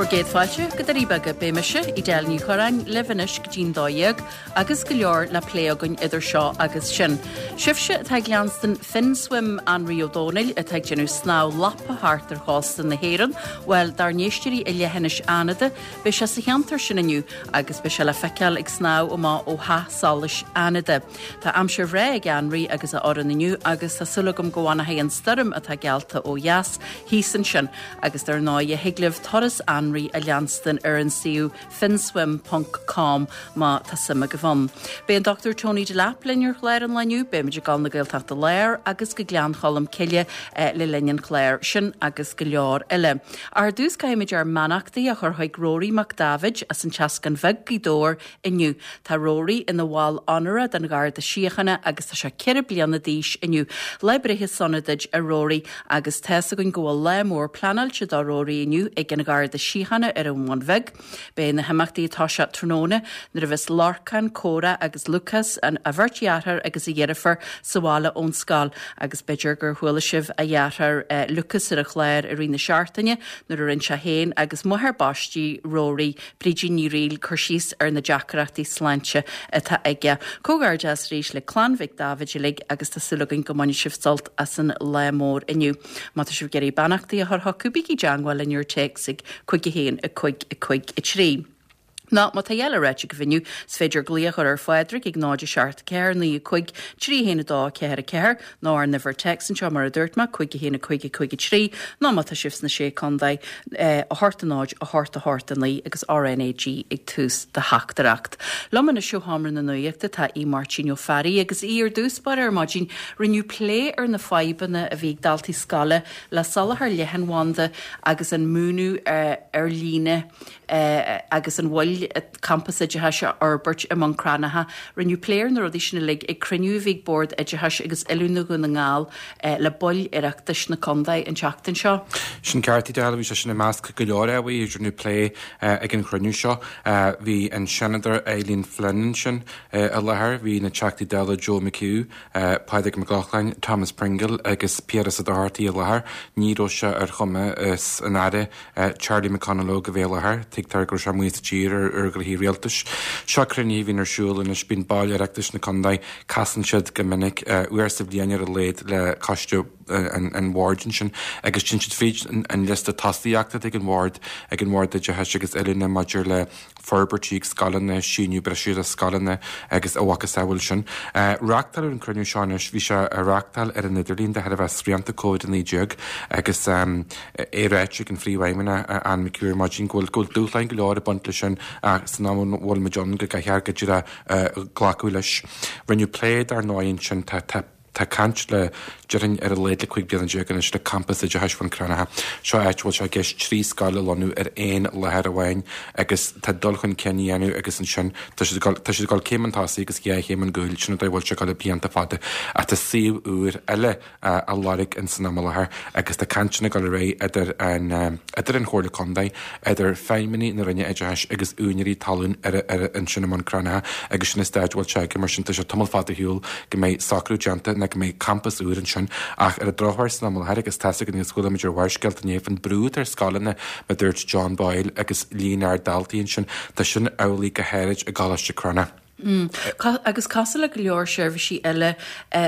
Bhur gcéad fáilte go Doirí Beaga. Beidh mise, Edel Ní Churráin, libh anois go dtí'n 12 agus go leor le plé againn idir seo agus sin. Sibhse atá ag leanstan Finswim Anraí Ó Dónaill atá ag déanamh snámh lapa thart ar chósta na hÉireann, bhuel, dár n-éisteoirí i leithinis Fhánada, beidh sé sa cheantar sin inniu agus beidh sé le feiceáil ag snámh amach ó Theach Solais Fhánada. Tá aimsir bhreá ag Anraí agus a fhoireann inniu agus tá súil agam go bhfanfaidh an stoirm atá geallta ó dheas thíos ansin agus dar ndóighe thig libh turas Anraí a leanstan ar an suíomh finswim ponc com má tá suim agaibh ann. Beidh an Dr Tony Delap linn ar chlár an lae inniu, beimid ag dul na Gaeltachta Láir agus go Gleann Cholm Cille le linn an chláir sin agus go leor eile. Ar dtús caithfimid ár mbeannachtaí a chur chuig Rory Mac Daibhéid as an Teascán Bheag, Gaoth Dobhair inniu. Tá Rory ina bhall onóra den Gharda Síochána agus tá sé 4 bliana d'aois inniu. Lá breithe sona duit a Rory agus tá's againn go bhfuil lá mór pleanáilte do Rory inniu ag an Gharda Síochána ar an Bhun Bheag. Beidh na himeachtaí ag toiseacht tráthnóna nuair a bheas Lorcán, Córa agus Lúcás, a bheirt dheartháir agus a dheirfiúr, sa bhaile ón scoil agus b'fhéidir gur chuala sibh a dheartháir Lúcás ar an chlár i rith na seachtaine nuair a rinne sé féin agus máthair baistí Rory Brídín Ní Fhrighil cur síos ar na deacrachtaí sláinte atá aige. Comhghairdeas arís le clann Mhic Dáibhid uilig agus tá súil againn go mbainfidh sibh sult as an lá mór inniu. Má tá sibh ag iarraidh beannachtaí a chur chucu, bígí i dteangmháil linn ar téacs ag 5 1 5 5 3. Nó má tá a dhath le ráite agaibh inniu, is féidir glaoch a chur ar Phádraig ag 0 7 4 9 5 3 1 2 4 4 nó ár n-uimhir téacs anseo mar a dúirt mé, 5 1 5 5 3, nó má tá sibh sna Sé Contae, 8 0 8 8 9 agus RnaG ag tús do theachtaireacht. Liom anois ó Sheomra na Nuachta tá Aodh Máirtín Ó Fearraigh agus Aodh ar dtús báire ar maidin rinneadh plé ar na fadhbanna a bhí ag daltaí scoile le soláthar leathanbhanda agus an múineadh ar líne agus an mhoill campas oideachais a fhorbairt i mBun Cranncha. Rinneadh plé ar na rudaí sin uilig ag cruinniú a bhí ag Bord Oideachais agus Oiliúna Dhún na nGall le baill Oireachtais na contae an tseachtain seo. Sin ceart, Edel, bhí sé sin i measc go leor ábhair a rinneadh plé ag an chruinniú seo. Bhí an Seanadóir Eileen Flynn ansin i láthair, bhí na Teachtaí Dála Joe McHugh, Pádraig Mac Lochlainn, Thomas Pringle agus Piaras Ó Dochartaigh i láthair. Ní raibh sé ar chumas an Aire Charlie McConalogue a bheith i láthair. Tuigtear go raibh sé amuigh as an tír ar ghnoithí rialtais. Seo cruinnithe a bhíonn ar siúl anois. Bíonn baill Oireachtais na contae, casann siad go minic, uair sa bhliain ar a laghad le coiste an bhoird ansin agus téann siad fríd an liosta tosaíochta atá ag an bhord, ag an Bhord Oideachais agus Oiliúna maidir le forbairtí ag scoileanna, síneadh breise do scoileanna agus a mhacasamhail sin. Reáchtáladh an cruinniú seo anois, bhí sé á reáchtáil ar an idirlíon de thairbhe srianta Covid-19 agus é ráite ag an Phríomhfheidhmeannach Anne McHugh ar maidin go bhfuil go bhfuil dúshláin go leor ag baint leis sin ach san am a bhfuil muid ann go gcaithfear go díreach glacadh leis. Rinneadh plé dar ndóigh ansin, tá tá Tá caint le, déarfainn, ar a laghad le 15 bliana anois le Campas Oideachais Bhun Cranncha. Seo áit a bhfuil sé i gceist 3 scoil a lonnú ar aon láthair amháin agus tá dul chun cinn á dhéanamh agus ansin tá siad ag dul, tá siad ag dul céim chun tosaigh agus dhá chéim chun cúil, sin an dóigh a bhfuil sé ag dul le blianta fada. Ach tá suíomh úr eile á lorg ins an am i láthair agus tá cainteanna ag dul ar aghaidh idir an, idir an Chomhairle Contae, idir feidhmeannaigh na Roinne Oideachais agus úinéirí talún ar, ar, ansin i mBun Cranncha agus sin an staid a bhfuil sé aige mar sin tá sé tamall fada ar shiúl go mbeidh socrú déanta nó go mbeidh campas úr ansin ach ar an drochuair san am i láthair agus tá's againn agus chuala muid ar Bharrscéalta inné faoin brú atá ar scoileanna mar a dúirt John Boyle agus líon ard daltaí ansin tá sin amhlaidh go háirid i gColáiste Cranncha. Agus cosúil le go leor seirbhísí eile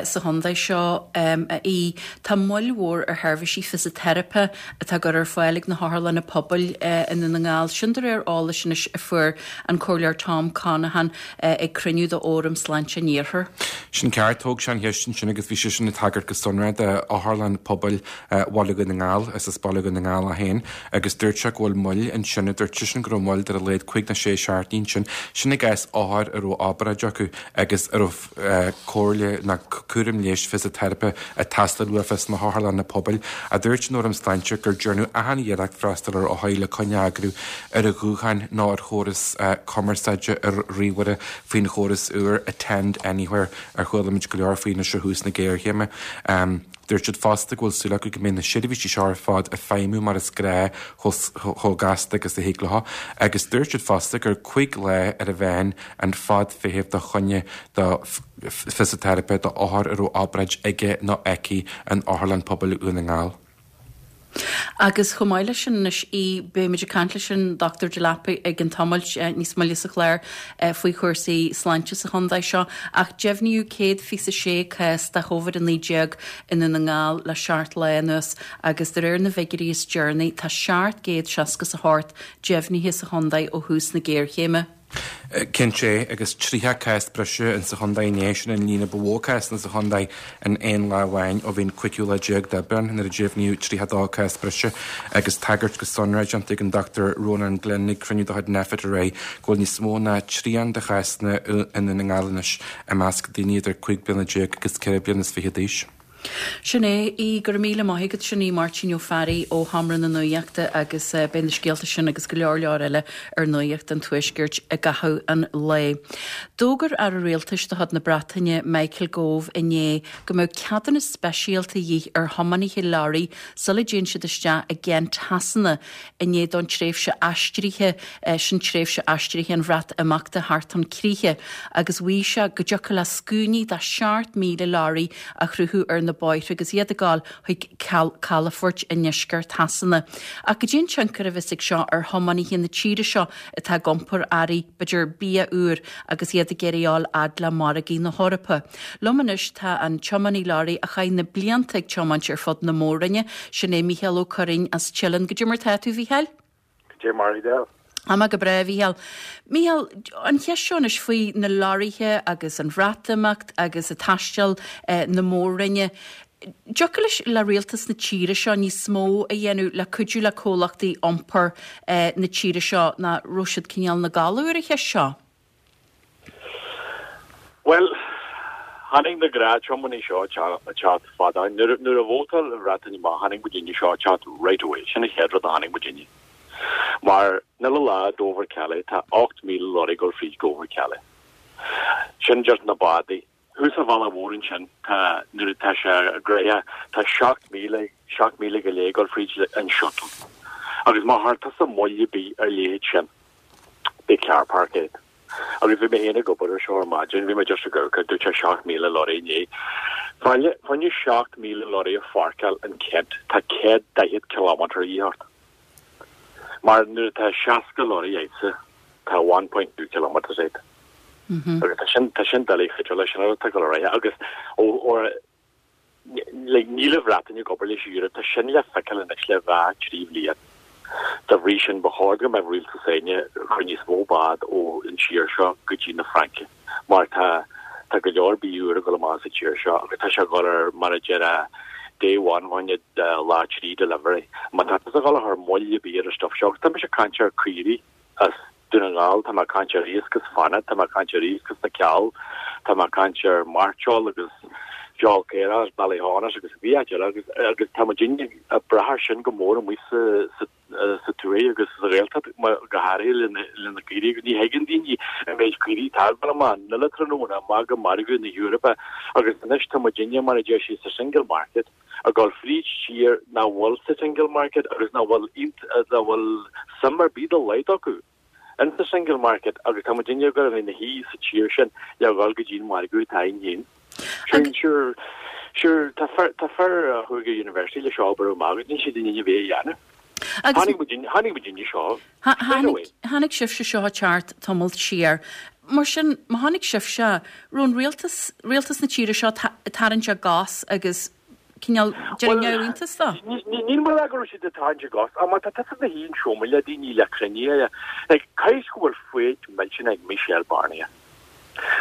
sa chontae seo, a Aoidh, tá moill mhór ar sheirbhísí fisiteiripe atá á gcur ar fáil ag na hotharlanna pobail i nDún na nGall. Sin de réir eolais anois a fuair an Comhairleoir Tom Conaghan ag cruinniú de Fhóram Sláinte an Iarthair. Sin ceart, thóg sé an cheist ansin agus bhí seisean ag tagairt go sonrath d'Otharlann Pobail Bhaile Dhún na nGall, is as Baile Dhún na nGall é féin, agus dúirt sé go bhfuil moill ansin, dúirt seisean go raibh moill de ar a laghad cúig nó sé seachtainí ansin, sin i gcás othair a raibh obráid acu agus a raibh comhairle nó cúram leighis fisiteiripe ag teastáil uafa sna hotharlanna pobail. Ach dúirt an Fhóram Sláinte gur dearnadh achan iarracht freastal ar othair le coinne a eagrú ar an ghuthán nó ar chóras cumarsáide ar ríomhaire faoin chóras úr Attend Anywhere ar chuala muid go leor faoi anois ó thús na géarchéime. Dúirt siad fosta go bhfuil súil acu go mbeidh na seirbhísí seo ar fad ag feidhmiú mar is gnáth chomh gasta agus a thig leo agus dúirt siad fosta gur 5 lá ar a mheán an fad feithimh do choinne do fisiteiripe do othar a raibh obráid aige nó aici in Otharlann Pobail Dhún na nGall. Agus chomh maith leis sin anois, Aodh, beimid ag caint leis an Dr Delap i gcionn tamaill níos moille sa chlár faoi chúrsaí sláinte sa chontae seo, ach deimhníodh 126 cás de Covid-19 i nDún na nGall le seacht lá anuas agus de réir na bhfigiúirí is deireanaí tá 768 deimhnithe sa chontae ó thús na géarchéime. Cinnte, agus 30 cás breise insa chontae inné, sin an líon a ba mhó cásanna sa chontae in aon lá amháin ó bhí an cúigiú lá déag d'Aibreán, nuair a deimhníodh 32 cás breise, agus tagairt go sonrath déanta ag an Dr Rónán Glynn ag cruinniú de chuid Nphet aréir go bhfuil níos mó ná trian de chásanna i nDún na nGall anois i measc daoine idir 15 bliana agus 24 bliana d'aois. Sin é í. Go raibh míle maith agat. Sin í Máirtín Ó Fearraigh ó Sheomra na Nuachta agus beidh na scéalta sin agus go leor leor eile ar Nuacht an Tuaiscirt i gcaitheamh an lae. D'fhógair Aire Rialtais de chuid na Breataine, Michael Gove, inné go mbeadh ceadúnas speisialta de dhíth ar thiománaithe leoraí sula dtéann siad isteach i gCent Shasana i ndiaidh don tréimhse aistrithe, sin tréimhse aistrithe an Bhreatimeachta, theacht chun críche agus mhaígh sé go dtiocfadh le scuainí de 7,000 leoraí a chruthú ar na bóithre agus iad ag gabháil chuig calafoirt i ndeisceart Shasana. Ach goidé an tionchar a bheas ag seo ar thiománaithe na tíre seo atá ag iompar earraí, b'fhéidir bia úr, agus iad ag iarraidh a fháil fhad le margaí na hEorpa? Liom anois tá an tiománaí leoraí a chaith na blianta ag tiomáint ar fud na mór-roinne, sin é Mícheál Ó Curraoin as Teileann. Goidé mar tá tú, a Mhícheáil? Goidé mar Edel? Tá mé go breá, a Mhícheáil. Mícheál, an cheist seo anois faoi na leoraithe agus an Bhreatimeacht agus ag taisteal na mór-roinne, dtiocfadh leis, le rialtas na tíre seo níos mó a dhéanamh le cuidiú le comhlachtaí iompair na tíre seo nach raibh siad cineál ina gcodladh ar an cheist seo? Bhuel, tháinig na gnáth-tiománaí seo ag teacht fada. Nuair a vótáil an Bhreatain amach, tháinig muidinne seo ag teacht right away. Sin an chéad rud a tháinig muidinne. Mar an uile lá Dover Calais, tá 8,000 lorry ag dul fríd Dover Calais. Sin just na bádaí. Thuas an bhealach mhór ansin, tá, nuair atá sé gnoitheach, tá 7,000, 7,000 go leith ag dul fríd an shuttle. Agus má chuir tusa moill ar bith ar leithéid sin, beidh car park agat. Agus bhí mé féin ag obair ar seo ar maidin, bhí mé just ag amharc, dúirt sé 7,000 lorry inné. Fá choinne 7,000 lorry a pháirceáil in Kent, tá 140 kilometre a dhíth ort. Mar nuair atá 60 lorry agatsa, tá 1.2 kilometres agat. Agus tá sin, tá sin doiligh féidir leis an atá ag dul ar aghaidh agus ó, ó, like, níl an Bhreatain ag obair leis an Eoraip, tá sin le feiceáil anois le dhá, trí bhliain. Dá bhrí sin, ba chóir go mbeadh rialtas s'againne ag cur níos mó bád ó an tír seo go dtí na Fraince, mar tá tá go leor bia úr ag dul amach as an tír seo agus tá sé ag dul ar, mar a déarfá, day one fá choinne lá trí delivery. Má tá tusa ag dul a chur moill ar bith ar an stuff seo, agus tá mise ag caint ar caoirigh as Dún na nGall, tá mé ag caint ar iasc as Fanad, tá mé ag caint ar iasc as na Ceall, tá mé ag caint ar mairteoil agus feoil caorach as Ballyhaunis agus bhí áit eile agus agus tá muidinne ag brath air sin go mór amuigh sa sa sa tuaith agus sa Ghaeltacht go háirithe le na le na caoirigh agus ní thuigeann daoine an méid caoirigh atá ag dul amach an uile tráthnóna amach go margadh na hEorpa agus anois tá muidinne mar a deir siad sa single market ag dul fríd tír nach bhfuil sa single market agus nach bhfuil nach bhfuil suim ar bith dá laghad acu in sa single market agus tá muidinne ag dul a bheith ina shuí sa tír sin le dhul go dtí an margadh atá againn féin. Sure, sure, sure, tá fear, tá fear a chuaigh go university leis seo obair amach agus níl siad in ann a bheith a dhéanamh. Tháinig muidinne, tháinig muidinne seo straight away. Tháinig sibhse seo ag teacht tamall siar. Mar sin, má tháinig sibhse, raibh an rialtas, rialtas na tíre seo ag tarraingt a gcos agus cineál déanamh neamhiontas dó? Níl mé ag rá go raibh siad ag tarraingt a gcos, ach má tá tusa ina shuí an seomra le daoine le cruinnithe, like, caithfidh go bhfuil foighid millteanach ag Michel Barnier.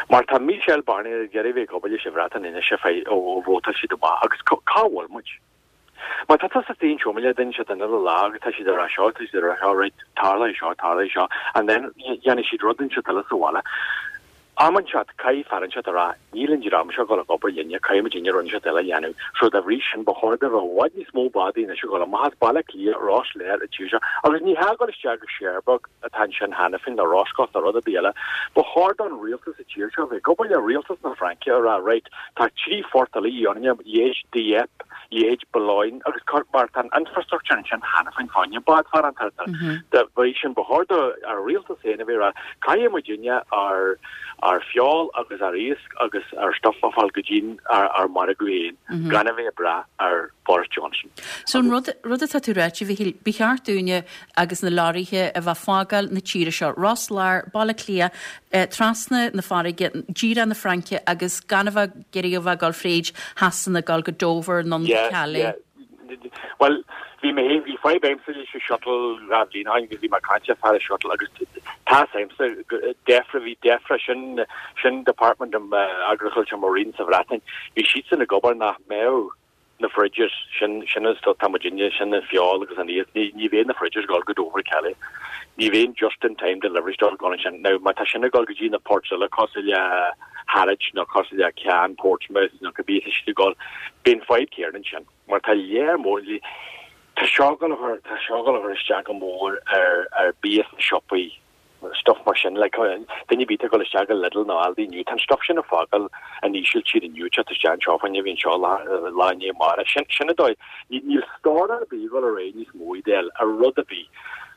Mar tá Michel Barnier ag iarraidh bheith ag obair leis an Bhreatain anois ar feadh ó vótáil siad amach agus cá bhfuil muid? Má tá tusa istigh an seomra le duine siad an uile lá agus tá siad ag rá seo, tá siad ag rá seo, right, tarlóidh seo, tarlóidh seo, and then dhéanfaidh siad rud inteacht eile sa bhaile. Am inteacht, caithfidh fear inteacht a rá, níl an dream seo ag dul ag obair linne, caithfidh muidinne rud inteacht eile a dhéanamh. So dá bhrí sin, ba chóir go raibh i bhfad níos mó bádaí anois ag dul amach as Baile Átha Cliath, Ros Láir, an tír seo, agus ní hea ag dul isteach go Cherbourg atá ansin cheana féin, nó Roscoff nó rud ar bith eile. Ba chóir don rialtas sa tír seo bheith ag obair le rialtas na Fraince a rá, right, Tá trí phort eile orainne, leithéid Dieppe, leithéid Boulogne agus cur mar tá an infrastructure ansin cheana féin fá choinne bád farantóireachta. Dá bhrí sin ba chóir do ár rialtas féin a bheith ag rá caithfidh muidinne ár Ár feoil agus ár iasc agus ár stuff a fháil go dtí'n ár margadh féin gan a bheith ag brath ar Boris Johnson. So an rud, rud atá tú ráite, a Mhichíl, ba cheart dúinne agus na leoraithe a bheith fágáil na tíre seo, Ros Láir, Baile Átha Cliath, trasna na farraige, díreach na Fraince agus gan a bheith ag iarraidh a bheith ag dul fríd Shasana, ag dul go Dover nó go Calais. Yeah, yeah. Bhuel, bhí mé féin, bhí fadhb agamsa leis an shuttle 2 bhliain ó shin agus bhí mé ag caint le fear an shuttle agus tá a fhios agamsa, DEFRA, bhí DEFRA, sin, sin Department of Agriculture Marine sa Bhreatain, bhí siadsan ag obair nach mbeadh na fridges, sin, sin an stuff, tá muidinne, sin an feoil agus an iasc, ní, ní bheidh na fridges ag dul go Dover, Calais. Ní bheidh an just in time deliveries dul go ansin. Now, má tá sin ag dul go dtí na ports eile cosúil le Harwich nó cosúil le Caen, Portsmouth nó cibé tá siad ag dul, beidh an fadhb céanna ansin. Mar tá léar mór, tá seo ag dul a chur, tá seo ag dul a chur isteach go mór ar, ar bia sna siopaí, stuff mar sin, like, duine ar bith atá ag dul isteach go Lidl nó Aldi inniu, tá an stuff sin ag fágáil an Ísiltír inniu, teacht isteach anseo fá choinne, bhí anseo lá, lá i ndiaidh amárach. Sin, sin an dóigh, níl stór ar bith ag dul ar aghaidh níos mó, Edel, ar rud ar bith.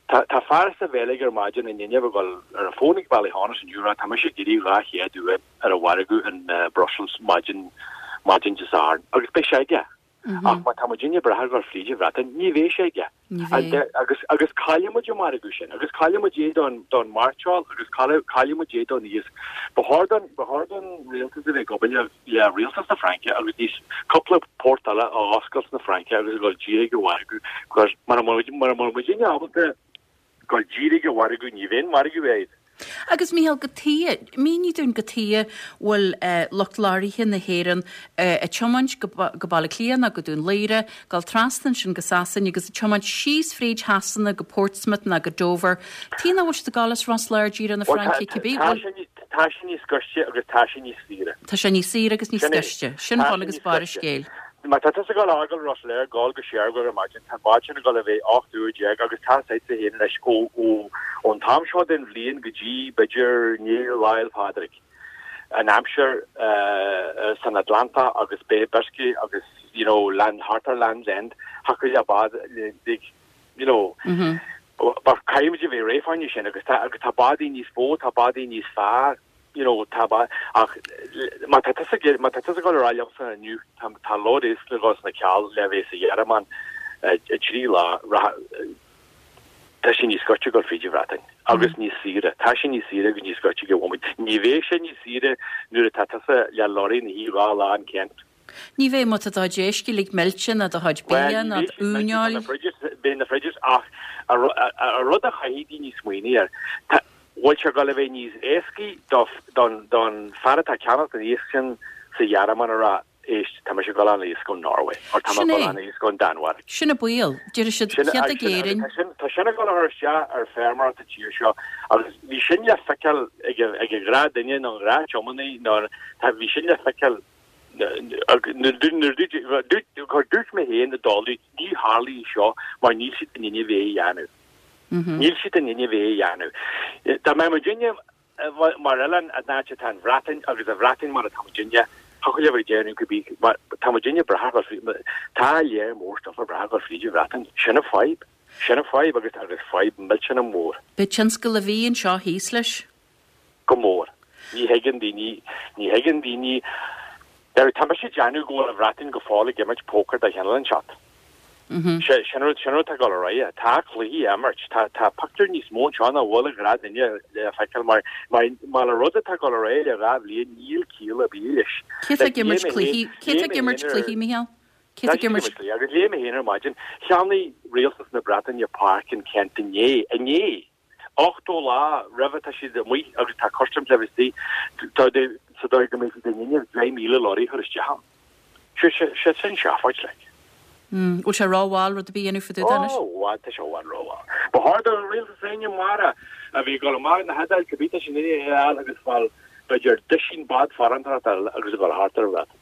Tá, tá fear sa Bheilg ar maidin inniu ag dul ar an bhfón ag Ballyhaunis inniu a rá tá mise ag iarraidh 200 uan ar an mhargadh in Brussels maidin, maidin Dé Sathairn agus beidh sé aige. Ach má tá muidinne ag brath ar dhul fríd an Bhreatain, ní bheidh sé aige. Agus, agus caillfidh muid an margadh sin, agus caillfidh muid é don, don mairteoil agus caillfidh muid é don iasc. Ba chóir don, ba chóir don rialtas a bheith ag obair le, le rialtas na Fraince agus níos, cúpla port eile a oscailt sna Fraince agus a dhul díreach ag an mhargadh, because mura mbeidh muidinne ábalta dul díreach ag an mhargadh, ní bheidh an margadh agat. Agus Mícheál, cad chuige, mínigh dúinn cad chuige bhfuil lucht lorraithe na hÉireann ag tiomáint go Baile Átha Cliath nó go Dún Laoghaire, dul trasna ansin go Sasain agus ag tiomáint síos fríd Shasana go Portsmouth nó go Dover. Tuige nach bhfuil siad ag dul as Ros Láir díreach na Fraince cibé? Tá sé tá sé níos gaiste agus tá sé níos saoire. Tá sé níos saoire agus níos gaiste. Sin bun agus barr an scéil. Má tá tusa ag dul a fhágáil Ros Láir ag dul go Cherbourg ar maidin, tá an bád sin ag dul a bheith 18 uair agus tá a fhios agatsa féin anois ó ón t-am seo den bhliain go dtí b'fhéidir i ndiaidh Lá 'le Pádraig, an aimsir san Atlantach agus Bay of Biscay agus you know land thart ar Land's End, thiocfadh le bád you know but caithfidh muid a bheith réidh fá choinne sin agus tá agus tá bádaí níos mó, tá bádaí níos fearr. you know, tá ba, ach má tá tusa ag, má tá tusa ag dul a rá liomsa inniu, tá, tá load iasc le dhul sna ceall le bheith sa Ghearmáin i dtrí lá, tá sé níos gaiste dul fríd an Bhreatain agus níos saoire, tá sé níos saoire agus níos gaiste ag an bhomaite. Ní bheidh sé níos saoire nuair atá tusa le lorry ina shuí 2 lá in Kent. Ní bheidh má tá do chuid éisc uilig millte ná do chuid bia ná d'uaineoil. Beidh na fridges ach an rud a chaithfidh daoine smaoineamh air, tá, bhfuil sé ag dul a bheith níos éascaí don fear atá ag ceannacht an iasc sin sa Ghearmáin a rá, éist, tá mise ag dul an iasc ón Norway or tá mé ag dul an iasc ón Danmhairg. Sin an baol. Déarfaidh siad céard ag Éirinn. Tá sin ag dul a chur isteach ar feirmeoireacht an tír seo agus bhí sin le feiceáil ag an ghnáthdhuine nó an ghnáth-tiománaí nó bhí sin le feiceáil Dúirt mé féin i dtólamh, ní tharlóidh seo mar níl siad in inmhe é a dhéanamh. Níl siad in inmhe é a dhéanamh. Dá mbeadh muidinne mar oileán in áit atá an Bhreatain agus an Bhreatain mar atá muidinne, thiocfadh leo a bheith ag déanamh cibé, mar tá muidinne ag brath ar tá léar mór stuff ag brath ar dhul fríd an Bhreatain. Sin an fadhb. Sin an fadhb agus agus fadhb millteanach mór. Beidh tionscal a bhí anseo thíos leis. Go mór. Ní thuigeann daoine, ní thuigeann daoine, now tá mise ag déanamh go bhfuil an Bhreatain go fóill ag imirt pócair de chineál inteacht. Sin rud, sin rud atá ag dul ar aghaidh. Tá cluichí á imirt, tá, tá pictiúr níos mó anseo ná bhfuil ag gnáthdhuine le feiceáil mar, mar, mar an rud atá ag dul ar aghaidh le 2 bhliain níl ciall ar bith leis. Cé atá ag imirt cluichí, cé atá ag imirt cluichí, Mícheál? Cé atá ag imirt? Agus léigh mé féin ar maidin, cheannaigh rialtas na Breataine páirc in Kent inné, inné! 80 lá roimhe tá siad amuigh agus tá customs le bheith istigh sa dóigh go mbeidh siad in inmhe 10,000 lorry a chur isteach ann. Sé sin seafóid like. Mm. Bhfuil sé rómhall rud ar bith a dhéanamh fá dtaobh de anois? Ó, bhfad, tá sé i bhfad rómhall. Ba chóir don rialtas éinne mara a bhí ag dul amach na hIodáil cibé tá sin in a fháil agus fáil b'fhéidir duisín bád farantóireachta agus a dhul thart ar an Bhreatain.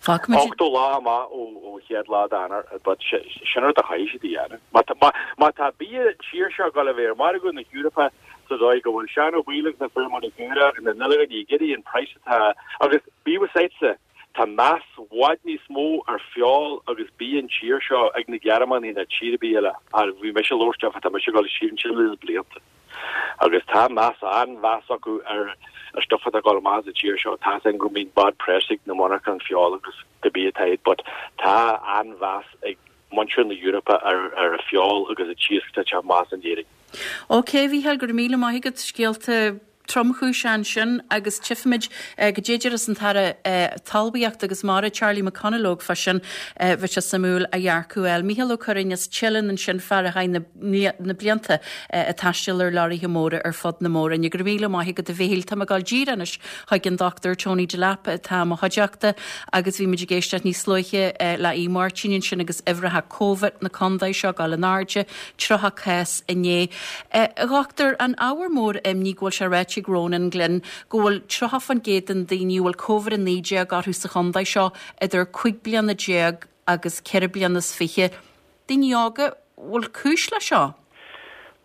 Fágfaimid. 80 lá amach ó chéad lá d'Eanáir, but sin rud a chaithfidh siad a dhéanamh. Má tá bia tír seo ag dul a bheith ar mhargadh na hEorpa sa dóigh go bhfuil Seán Ó Baoill agus na feirmeoirí caora agus na n-oileáin ag iarraidh an praghas atá agus bíodh a fhios agatsa, tá meas i bhfad níos mó ar feoil agus bia an tír seo ag na Gearmánaigh ná tír ar bith eile. Bhí mise ag labhairt tá mise ag dul siar ansin le blianta. Agus tá meas, an-mheas acu ar an stuif atá ag dul amach as an tír seo. Tá's againn go mbíonn bad press ag na monarcháin feoil agus cibé atá iad but tá an-mheas ag muintir na hEorpa ar an feoil agus an t-iasc atá ag teacht amach as in Éirinn. Ok, a Mhícheáil, go raibh míle maith agat. Scéalta tromchúiseacha ansin agus tchífimid goidé a déarfas an tAire Talmhaíochta agus Mara, Charlie McConalogue fá sin. Bheadh sé suimiúil a dhearcadh a fháil. Mícheál Ó Curráin as Teileann ansin, fear a chaith na blianta ag taisteal ar leoraithe móra ar fud na Mór-Roinne. Go raibh míle maith agat a Mhíchíl. Tá mé ag dul díreach anois chuig an Dr Tony Delap atá i mo chuideachta agus bhí muid ag éisteacht níos luaithe le Aodh Máirtín ansin agus uimhreacha Covid na contae seo ag dul in airde, 30 cás inné. A Dhochtúir, an ábhar mór imní go bhfuil sé ráite ag Ronan Glynn go bhfuil 30% den daoine a bhfuil Covid-19 orthu sa chontae seo idir 15 bliana agus 24 bliana. Daoine óga, bhfuil cúis le seo?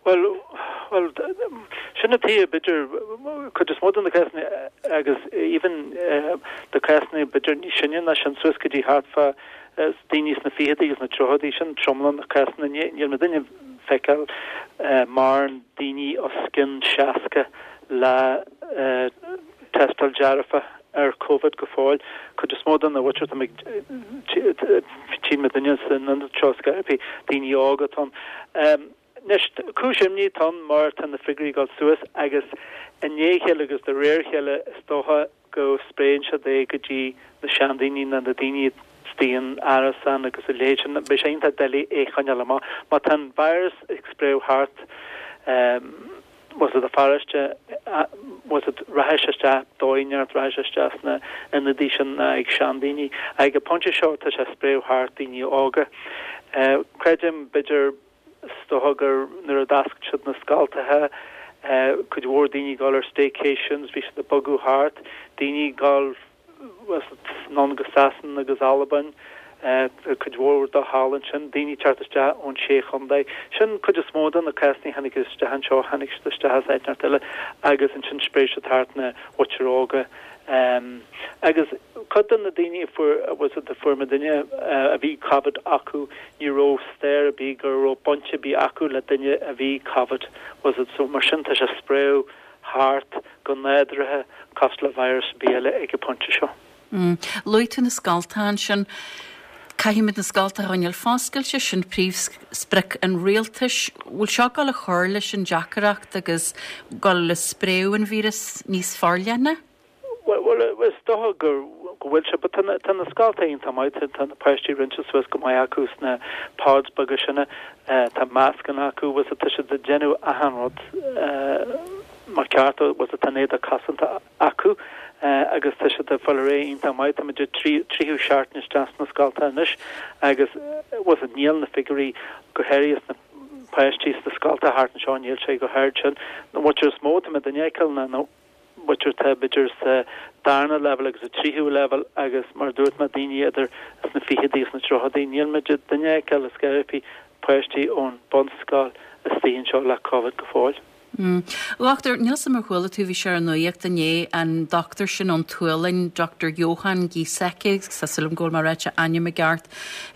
Bhuel, bhuel, sin an taobh, b'fhéidir, cuid is mó de na cásanna agus even na cásanna b'fhéidir níos sine ná sin, suas go dtí thart fá daoine sna ficheadaí agus na tríochadaí, sin tromlach na cásanna. Níl muidinne ag feiceáil mórán daoine os cionn 60 le tástáil dearfa ar Covid go fóill. Cuid is mó den mhuintir atá ag tchíonn muidinne san ionad seo scaití, daoine óga atá ann. Anois, cúis imní atá ann mar tá na figiúirí ag dul suas agus i ndiaidh a chéile agus de réir a chéile is dócha go spréann siad é go dtí na seandaoine nó na daoine istigh in árasán agus a leithéid sin. Beidh sé iontach doiligh é a choinneáil amach. Má tá an virus ag spréadh thart, bhfuil fhios a'd, pharóiste, bhfuil fhios a'd, rachaidh sé isteach dóigh inteacht, rachaidh sé isteach sna ionadaí sin ag seandaoine. Ag an bpointe seo tá sé ag spréadh thart daoine óga. Creidim, b'fhéidir, is dócha gur nuair a d'oscail siad na scoltacha, cuid mhór daoine ag dul ar staycations, bhí siad ag bogadh thart, daoine ag dul, anonn go Sasana agus Albain, cuid mhór dó thall ansin, daoine ag teacht isteach ón Sé Chontae. Sin cuid is mó de na cásanna a tháinig isteach anseo, tháinig siad isteach as áit inteacht eile agus ansin spréigh siad thart na mhuintir óga. Agus cuid de na daoine a fuair, bhfuil fhios a'd, a fuair muidinne a bhí Covid acu, ní raibh stair ar bith go raibh baint ar bith acu le duine a bhí Covid, bhfuil fhios a'd, so mar sin tá sé ag spréadh thart go nádúrtha cosúil le virus ar bith eile ag an bpointe seo. Luaigh tú na scoltacha ansin. Caithfimid na scoltacha a choinneáil foscailte, sin príomhsprioc an rialtais. Bhfuil seo ag dul a chur leis an deacaireacht agus dul le spréadh an víreas níos forleithne? Bhuel, is dócha go bhfuil sé, but tá na scoltacha iontach maith, tá na páistí roinnte suas go maith acu sna pods beaga sin, tá mascanna acu, bhfuil fhios a'd, tá siad ag déanamh achan rud mar ceart, bhfuil fhios a'd, tá an éadach cosanta acu agus tá siad ag fáil ar aghaidh iontach maith, tá muid ag tríú seachtain isteach sna scoltacha anois agus bhfuil fhios a'd, níl na figiúirí go háirithe sna páistí sna scoltacha thart anseo, níl sé chomh hard sin. An mhuintir is mó atá muidinne a fheiceáil ná na. muintir atá b'fhéidir sa darna leibhéal agus sa tríú leibhéal agus mar a dúirt mé daoine idir sna ficheadaí agus na tríochadaí. Níl muidinne ag feiceáil ar scor ar bith páistí ón bunscoil istigh anseo le Covid go fóill. A Dhochtúir, níl 'fhios a'm ar chuala tú, bhí sé ar an nuaíocht inné, an dochtúir sin ón tSualainn, Doctor Johan Giesecke, tá súil agam go bhfuil mé ag ráit a ainm i gceart,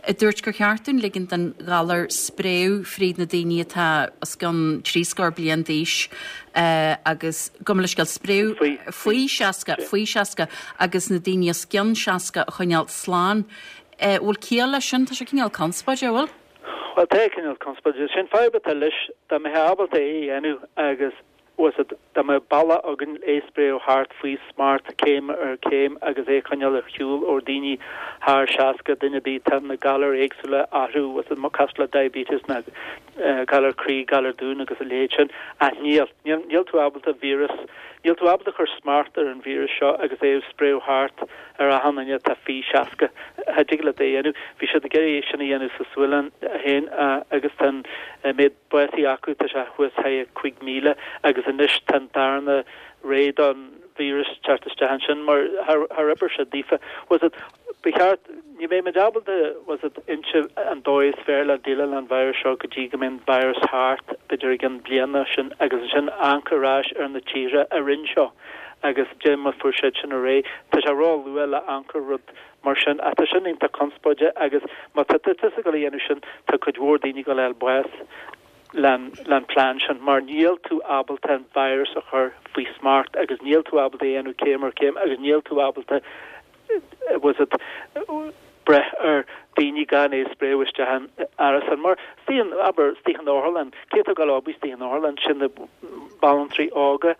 a dúirt gur cheart dúinn ligean don ghalar spréadh fríd na daoine atá os cionn trí scór bliain d'aois agus gabh mo leithscéal spréadh faoi 60, faoi 60 agus na daoine os cionn 60 a choinneáil slán. Bhfuil ciall leis sin? Tá sé cineál conspóideach, an bhfuil? Bhuel, tá cineál conspóideach. Sin fadhb atá leis, dá mbeifeá ábalta é a dhéanamh agus bhfuil fhios a'd, dá mbeadh bealach againn é a spréadh thart faoi smacht céim ar chéim agus é a choinneáil ar shiúl ó daoine thar 60, duine ar bith, tá na galair éagsúla orthu, bhfuil fhios a'd, cosúil le diabetes ná galar croí, galar dúin agus a leithéid sin. Ach níl. Níl, níl tú ábalta víreas, níl tú ábalta cur smacht ar an víreas seo agus é a spréadh thart ar achan duine atá faoi 60. Cha dtig leat é a dhéanamh. Bhí siad ag iarraidh é sin a dhéanamh sa Sualainn féin agus tá an méid básaithe acu, tá sé thuas thar 5,000 agus anois tá an darna ré don víreas teacht isteach ansin mar char oibir sé daofa. Bhfuil fhios a'd, ba cheart, ní bheidh muid ábalta, bhfuil fhios a'd, inse an dóigh is fearr le déileáil leis an virus seo go dtí go mbeidh an virus thart, b'fhéidir i gcionn bliana sin, agus ansin amharc ar ais ar na tíortha a rinn seo agus dé mar fuair siad sin ar aghaidh. Tá sé ró-luath le amharc ar rud mar sin ach tá sin iontach conspóideach agus má tá tusa ag dul a dhéanamh sin tá cuid mhór daoine ag dul a fháil bás. Le an plean sin mar níl tú ábalta an virus a chur faoi smacht agus níl tú ábalta é a dhéanamh céim ar chéim agus níl tú ábalta bhfuil 's agat breith ar daoine gan é a spréadh isteach in árasán mar istigh in abair istigh in otharlann cé atá ag dul obair istigh in otharlann sin na banaltraí óga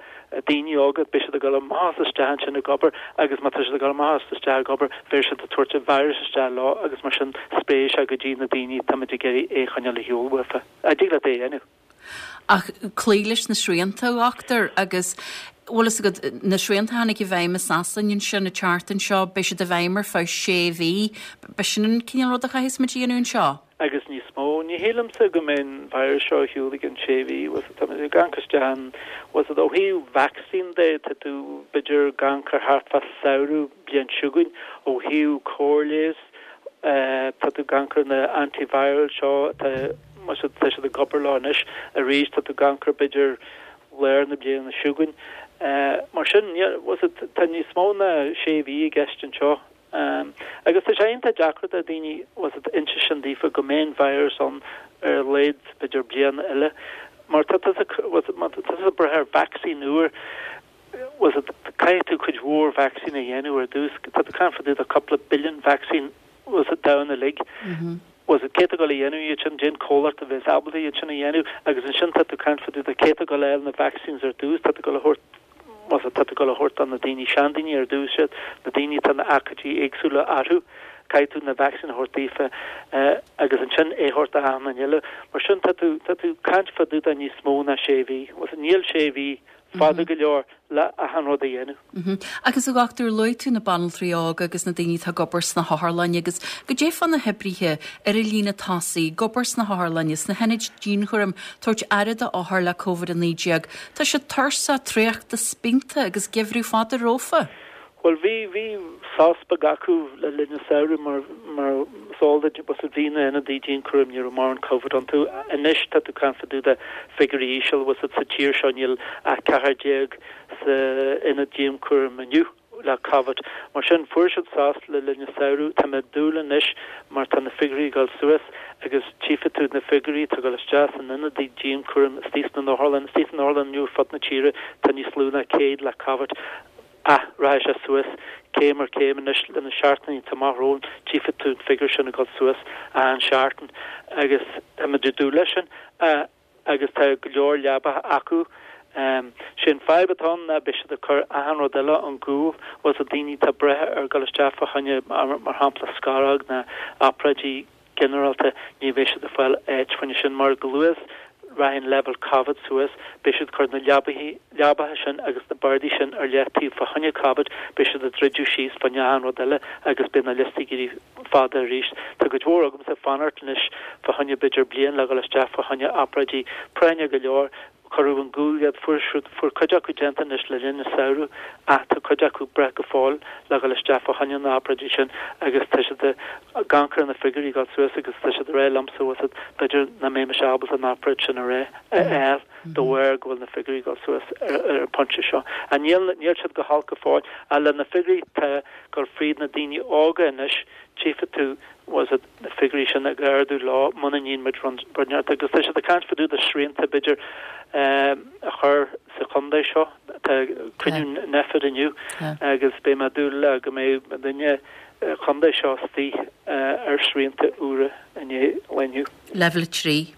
daoine óga beidh siad ag dul amach is isteach ansin ag obair agus má tá siad ag dul amach is isteach ag obair beidh siad ag tabhairt an virus isteach leo agus mar sin spréifidh sé go dtí na daoine táimid ag iarraidh é a choinneáil ar shiúl uafa. An dtig leat é a dhéanamh. Ach cloí leis na srianta, a dhochtúir, agus bhfuil fhios agat, na srianta a tháinig i bhfeidhm i Sasain ansin an tseachtain seo, beidh siad i bhfeidhm ar feadh sé mhí. B'shin an cineál rud a chaithfeas muid a dhéanamh anseo. agus níos mó. Ní shílimse go mbeidh an virus seo ar shiúl i gcionn sé mhí, bhfuil 's agat, tá muid ag amharc isteach ann, bhfuil 's agat, ó thaobh vacsaín de, tá tú b'fhéidir ag amharc ar thart fá samhradh bliain seo chugainn, ó thaobh cóir leighis, tá tú ag amharc ar na antiviral seo, tá, bhfuil 's agat, tá siad ag obair leo anois, arís tá tú ag amharc ar b'fhéidir lár na bliana seo chugainn. Mar sin, bhfuil 's agat, tá níos mó ná sé mhí i gceist anseo. Agus tá sé iontach deacair do daoine, bhfuil 's agat, inse sin daofa go mbeidh an virus ann ar a laghad b'fhéidir bliain eile. Mar tá tusa, bhfuil 's agat, má tá tusa ag brath ar vacsaín úr, bhfuil 's agat, caithfidh tú cuid mhór vacsaín a dhéanamh ar dtús. Tá tú ag caint fá dtaobh de cúpla billion vacsaín, bhfuil 's agat, domhan uilig. Bhfuil 's agat, cé atá ag dul a dhéanamh iad sin, cén comhlacht a bheas ábalta iad sin a dhéanamh agus ansin tá tú ag caint fá dtaobh de cé atá ag dul a fháil na vaccines ar dtús, tá tú ag dul a thabhairt, bhfuil 's agat, tá tú ag dul a thabhairt do na daoine, seandaoine ar dtús iad, na daoine atá na achaidí éagsúla orthu, caithfidh tú na vaccine a thabhairt daofa agus ansin é a thabhairt do achan duine eile. Mar sin tá tú, tá tú ag caint fá dtaobh de níos mó ná sé mhí. Bhfuil 's agat, níl sé mhí fada go leor le achan rud a dhéanamh. Agus a dhochtúir, luaigh tú na banaltraí óga agus na daoine atá ag obair sna hotharlanna agus goidé fá na hoibrithe ar an líne tosaigh, ag obair sna hotharlanna, sna hionaid dianchúraim, tabhairt aire d'othair le Covid-19. Tá siad tuirseach, traochta, spíonta agus geimhreadh fada rompu. Bhuel, bhí, bhí sos beag acu le linn an samhradh mar, mar is eol duit, bhfuil 's agat, bhí na hionadaí dianchúraim, ní raibh mórán Covid iontu. Anois tá tú ag caint fá dtaobh de figiúirí íseal, bhfuil 's agat, sa tír seo níl ach 14 sa ionad dianchúraim inniu le Covid. Mar sin, fuair siad sos le linn an samhradh. Tá mé ag dúil anois mar tá na figiúirí ag dul suas agus tchífidh tú na figiúirí atá ag dul isteach san ionadaí dianchúraim istigh sna n-otharlann, istigh san otharlann inniu ar fud na tíre tá níos lú ná 100 le Covid. Ach rachaidh sé suas céim ar chéim anois le na seachtainí atá amach romhainn, tchífidh tú an figiúr sin ag dul suas achan seachtain agus táimid ag dúil leis sin agus tá go leor leabacha acu. Sé an fadhb atá ann ná beidh siad ag cur achan rud eile ón gcúl, bhfuil 's agat, daoine atá ag brath ar dhul isteach fá choinne mar shampla scaróg ná obráidí ginearálta, ní bheidh siad ag fáil áit fá choinne sin mar go luath is rachaidh an leibhéal Covid suas, beidh siad ag cur na leabaithe, leabacha sin agus na bordaí sin ar leataobh fá choinne Covid, beidh siad ag druideadh síos fá choinne achan rud eile agus beidh na liostaí ag éirí fada arís. Tá cuid mhór agamsa ag fanacht anois fá choinne b'fhéidir bliain le dhul isteach fá choinne obráidí práinne go leor. Cuireadh ón gcúl iad, fuair siad, fuair cuid acu déanta anois le linn an samhradh ach tá cuid acu ag brath go fóill le dhul isteach fá choinne na obráidí sin agus tá siad ag amharc ar na figiúirí ag dul suas agus tá siad ag rá liomsa, bhfuil 's agat, b'fhéidir nach mbeidh mise ábalta an obráid sin a rá, a fháil de bharr go bhfuil na figiúirí ag dul suas ar ar an pointe seo. Ach níl, níl siad go holc go fóill ach le na figiúirí atá ag dul fríd na daoine óga anois, tchífidh tú, bhfuil 's agat, na figiúirí sin ag ardú leo muna ndéanann muid rud inteacht agus tá siad ag caint fá dtaobh de srianta b'fhéidir a chur sa chontae seo. Tá cruinniú Nphet inniu agus beidh mé ag dúil le go mbeidh muidinne chontae seo istigh ar srianta úra i ndiaidh lae inniu. Leibhéal 3.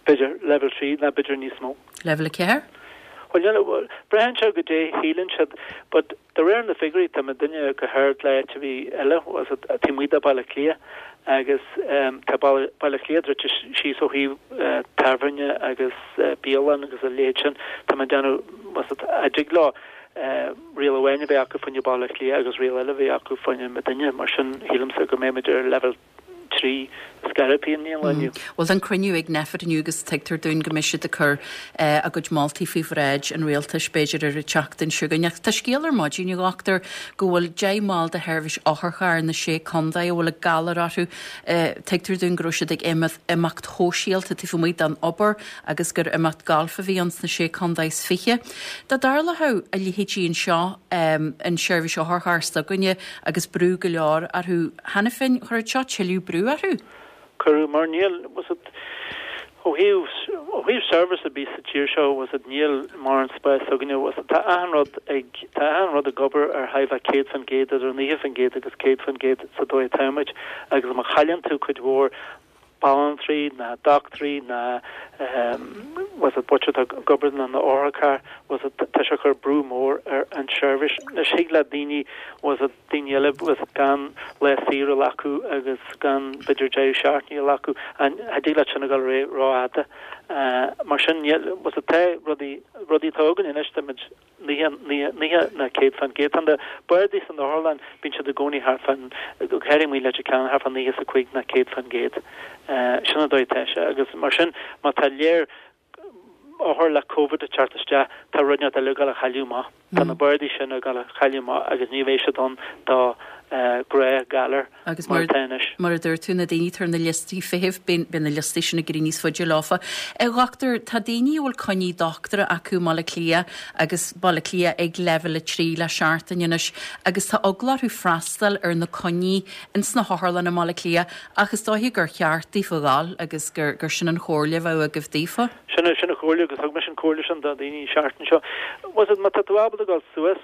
B'fhéidir leibhéal 3 nó b'fhéidir níos mó. Leibhéal 4? Bhuel, níl, braitheann sé goidé shíleann siad, but de réir na figiúirí tá muidinne go hard le áit ar bith eile, bhfuil 's agat, taobh amuigh de Baile Átha Cliath agus tá Baile Átha Cliath druidte síos ó thaobh tábhairne agus bialann agus a leithéid sin. Tá mé ag déanamh, bhfuil 's agat, an dtig leo riail amháin a bheith acu fá choinne Baile Átha Cliath agus riail eile a bheith acu fá choinne muidinne, mar sin shílimse go mbeidh muid ar leibhéal 3 scairbthe i ndiaidh an lae inniu. Bhuel, tá an cruinniú ag Nphet inniu agus tuigtear dúinn go mbeidh siad ag cur a gcuid moltaí faoi bhráid an rialtais, b'fhéidir ar an tseachtain seo chugainn. Ach tá scéal ar maidin, a dhochtúir, go bhfuil 10 mball de sheirbhís otharchairr na Sé Contae a bhfuil an galar orthu. Tuigtear dúinn go raibh siad ag imeacht shóisialta taobh amuigh den obair agus gur imeacht gailf a bhí ann sna Sé Contae is 20. Dá dtarlódh a leithéidí anseo, an tseirbhís otharchairr s'againne agus brú go leor orthu cheana féin, chuirfeadh seo tuilleadh brú orthu? Cuireadh, mar níl, bhfuil 's agat. Ó thaobh, ó thaobh service ar bith sa tír seo, bhfuil 's a'd, níl mórán spáis againne, bhfuil 's a'd, tá achan rud ag, tá achan rud ag obair ar thigh bheith 100%, idir 90% agus 100% sa dóigh atáimid agus má chailleann tú cuid mhór banaltraí ná dochtúirí ná bhfuil 's a'd, butcher atá ag obair na na otharchairr, bhfuil 's a'd, tá sé ag cur brú mór ar an tseirbhís. Anois thig le daoine, bhfuil 's a'd, daoine eile bhfuil 's a'd gan lá saoire a ghlacadh agus gan b'fhéidir deireadh seachtaine a ghlacadh, cha dtig leat sin a dhul ar aghaidh rófhada. Mar sin níl, bhfuil 's a'd, tá rudaí, rudaí atá againn anois, táimid 90, 90 ná 100%. Tá na bardaí san otharlann, bíonn siad i gcónaí thart fán, go háirithe amuigh i Leitir Ceanainn, thart fá 95 ná 100%. Sin an dóigh atá sé agus mar sin má tá léir othar le Covid ag teacht isteach, tá rud inteacht eile ag dul a chailleadh amach. Tá na bardaí sin ag dul a chailleadh amach agus ní bheidh siad ann do ghnáthghalair Agus mar atá anois. Mar a dúirt tú, na daoine atá ar na liostaí feithimh, beidh na liostaí sin ag éirí níos faide leofa. A dhochtúir, tá daoine a bhfuil coinní dochtúra acu i mBaile Átha Cliath agus Baile Átha Cliath ag leibhéal 3 le seachtain anois agus tá eagla orthu freastal ar na coinní ins na hotharlanna i mBaile Átha Cliath ach is dóiche gur cheart daofa dhul agus gur gur sin an chomhairle a bheadh agaibh daofa. Sin sin an chomhairle agus thug mise an chomhairle sin do dhaoine an seachtain seo. Bhfuil 's a'd, má tá tú ábalta dul suas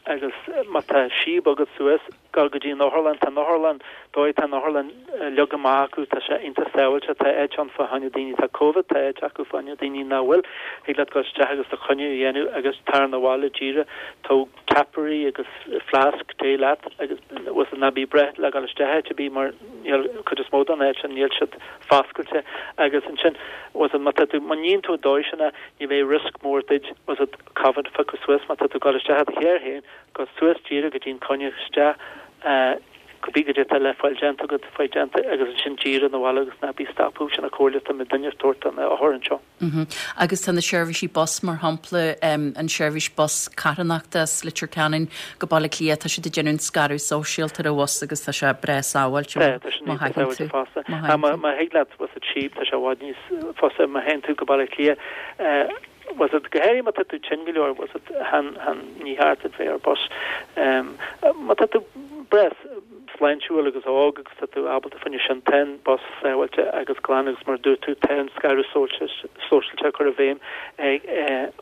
agus má tá síob agat suas, Gabh go dtí an otharlann. Tá an otharlann, dóigh tá an otharlann leagtha amach acu, tá sé iontach sábháilte, tá áit ann fá choinne daoine atá Covid, tá áit acu fá choinne daoine nach bhfuil. Thig leat dul isteach agus do choinne a dhéanamh agus tar 'na bhaile díreach. Tóg ceapairí agus fleasc tae leat agus bhfuil 's a'd ná bí ag brath le dul isteach áit ar bith mar níl, cuid is mó den áit sin níl siad foscailte agus ansin bhfuil 's a'd má tá tú, má níonn tú an dóigh sin é ní bheidh risk mór duit bhfuil 's a'd Covid a phiocadh suas má tá tú ag dul isteach i do charr féin. Gabh suas díreach go dtí an coinne isteach cibé goidé atá le fáil déanta agat, faigh déanta agus ansin díreach 'na bhaile agus ná bí ag stopadh, sin an chomhairle atá muidinne ag tabhairt do na hothair anseo. Agus tá na seirbhísí bus, mar shampla, an seirbhís bus carthanachta as Leitir Ceanainn go Baile Átha Cliath, tá siad ag déanamh an scaradh sóisialta ar an bhus agus tá sé breá sábháilte má tá sé níos sábháilte fosta. Má thig leat bhfuil 's a'd síob, tá sé i bhfad níos fusa má théann tú go Baile Átha Cliath. Bhfuil 's a'd, go háirithe má tá tú tinn go leor, bhfuil 's a'd, chan, chan, ní cheart duit bheith ar bus. Má tá tú breá sláintiúil agus óg agus tá tú ábalta fá choinne sin, tá an bus sábháilte agus glan agus mar a dúirt tú, tá an scaradh sóisialta á chur i bhfeidhm ag,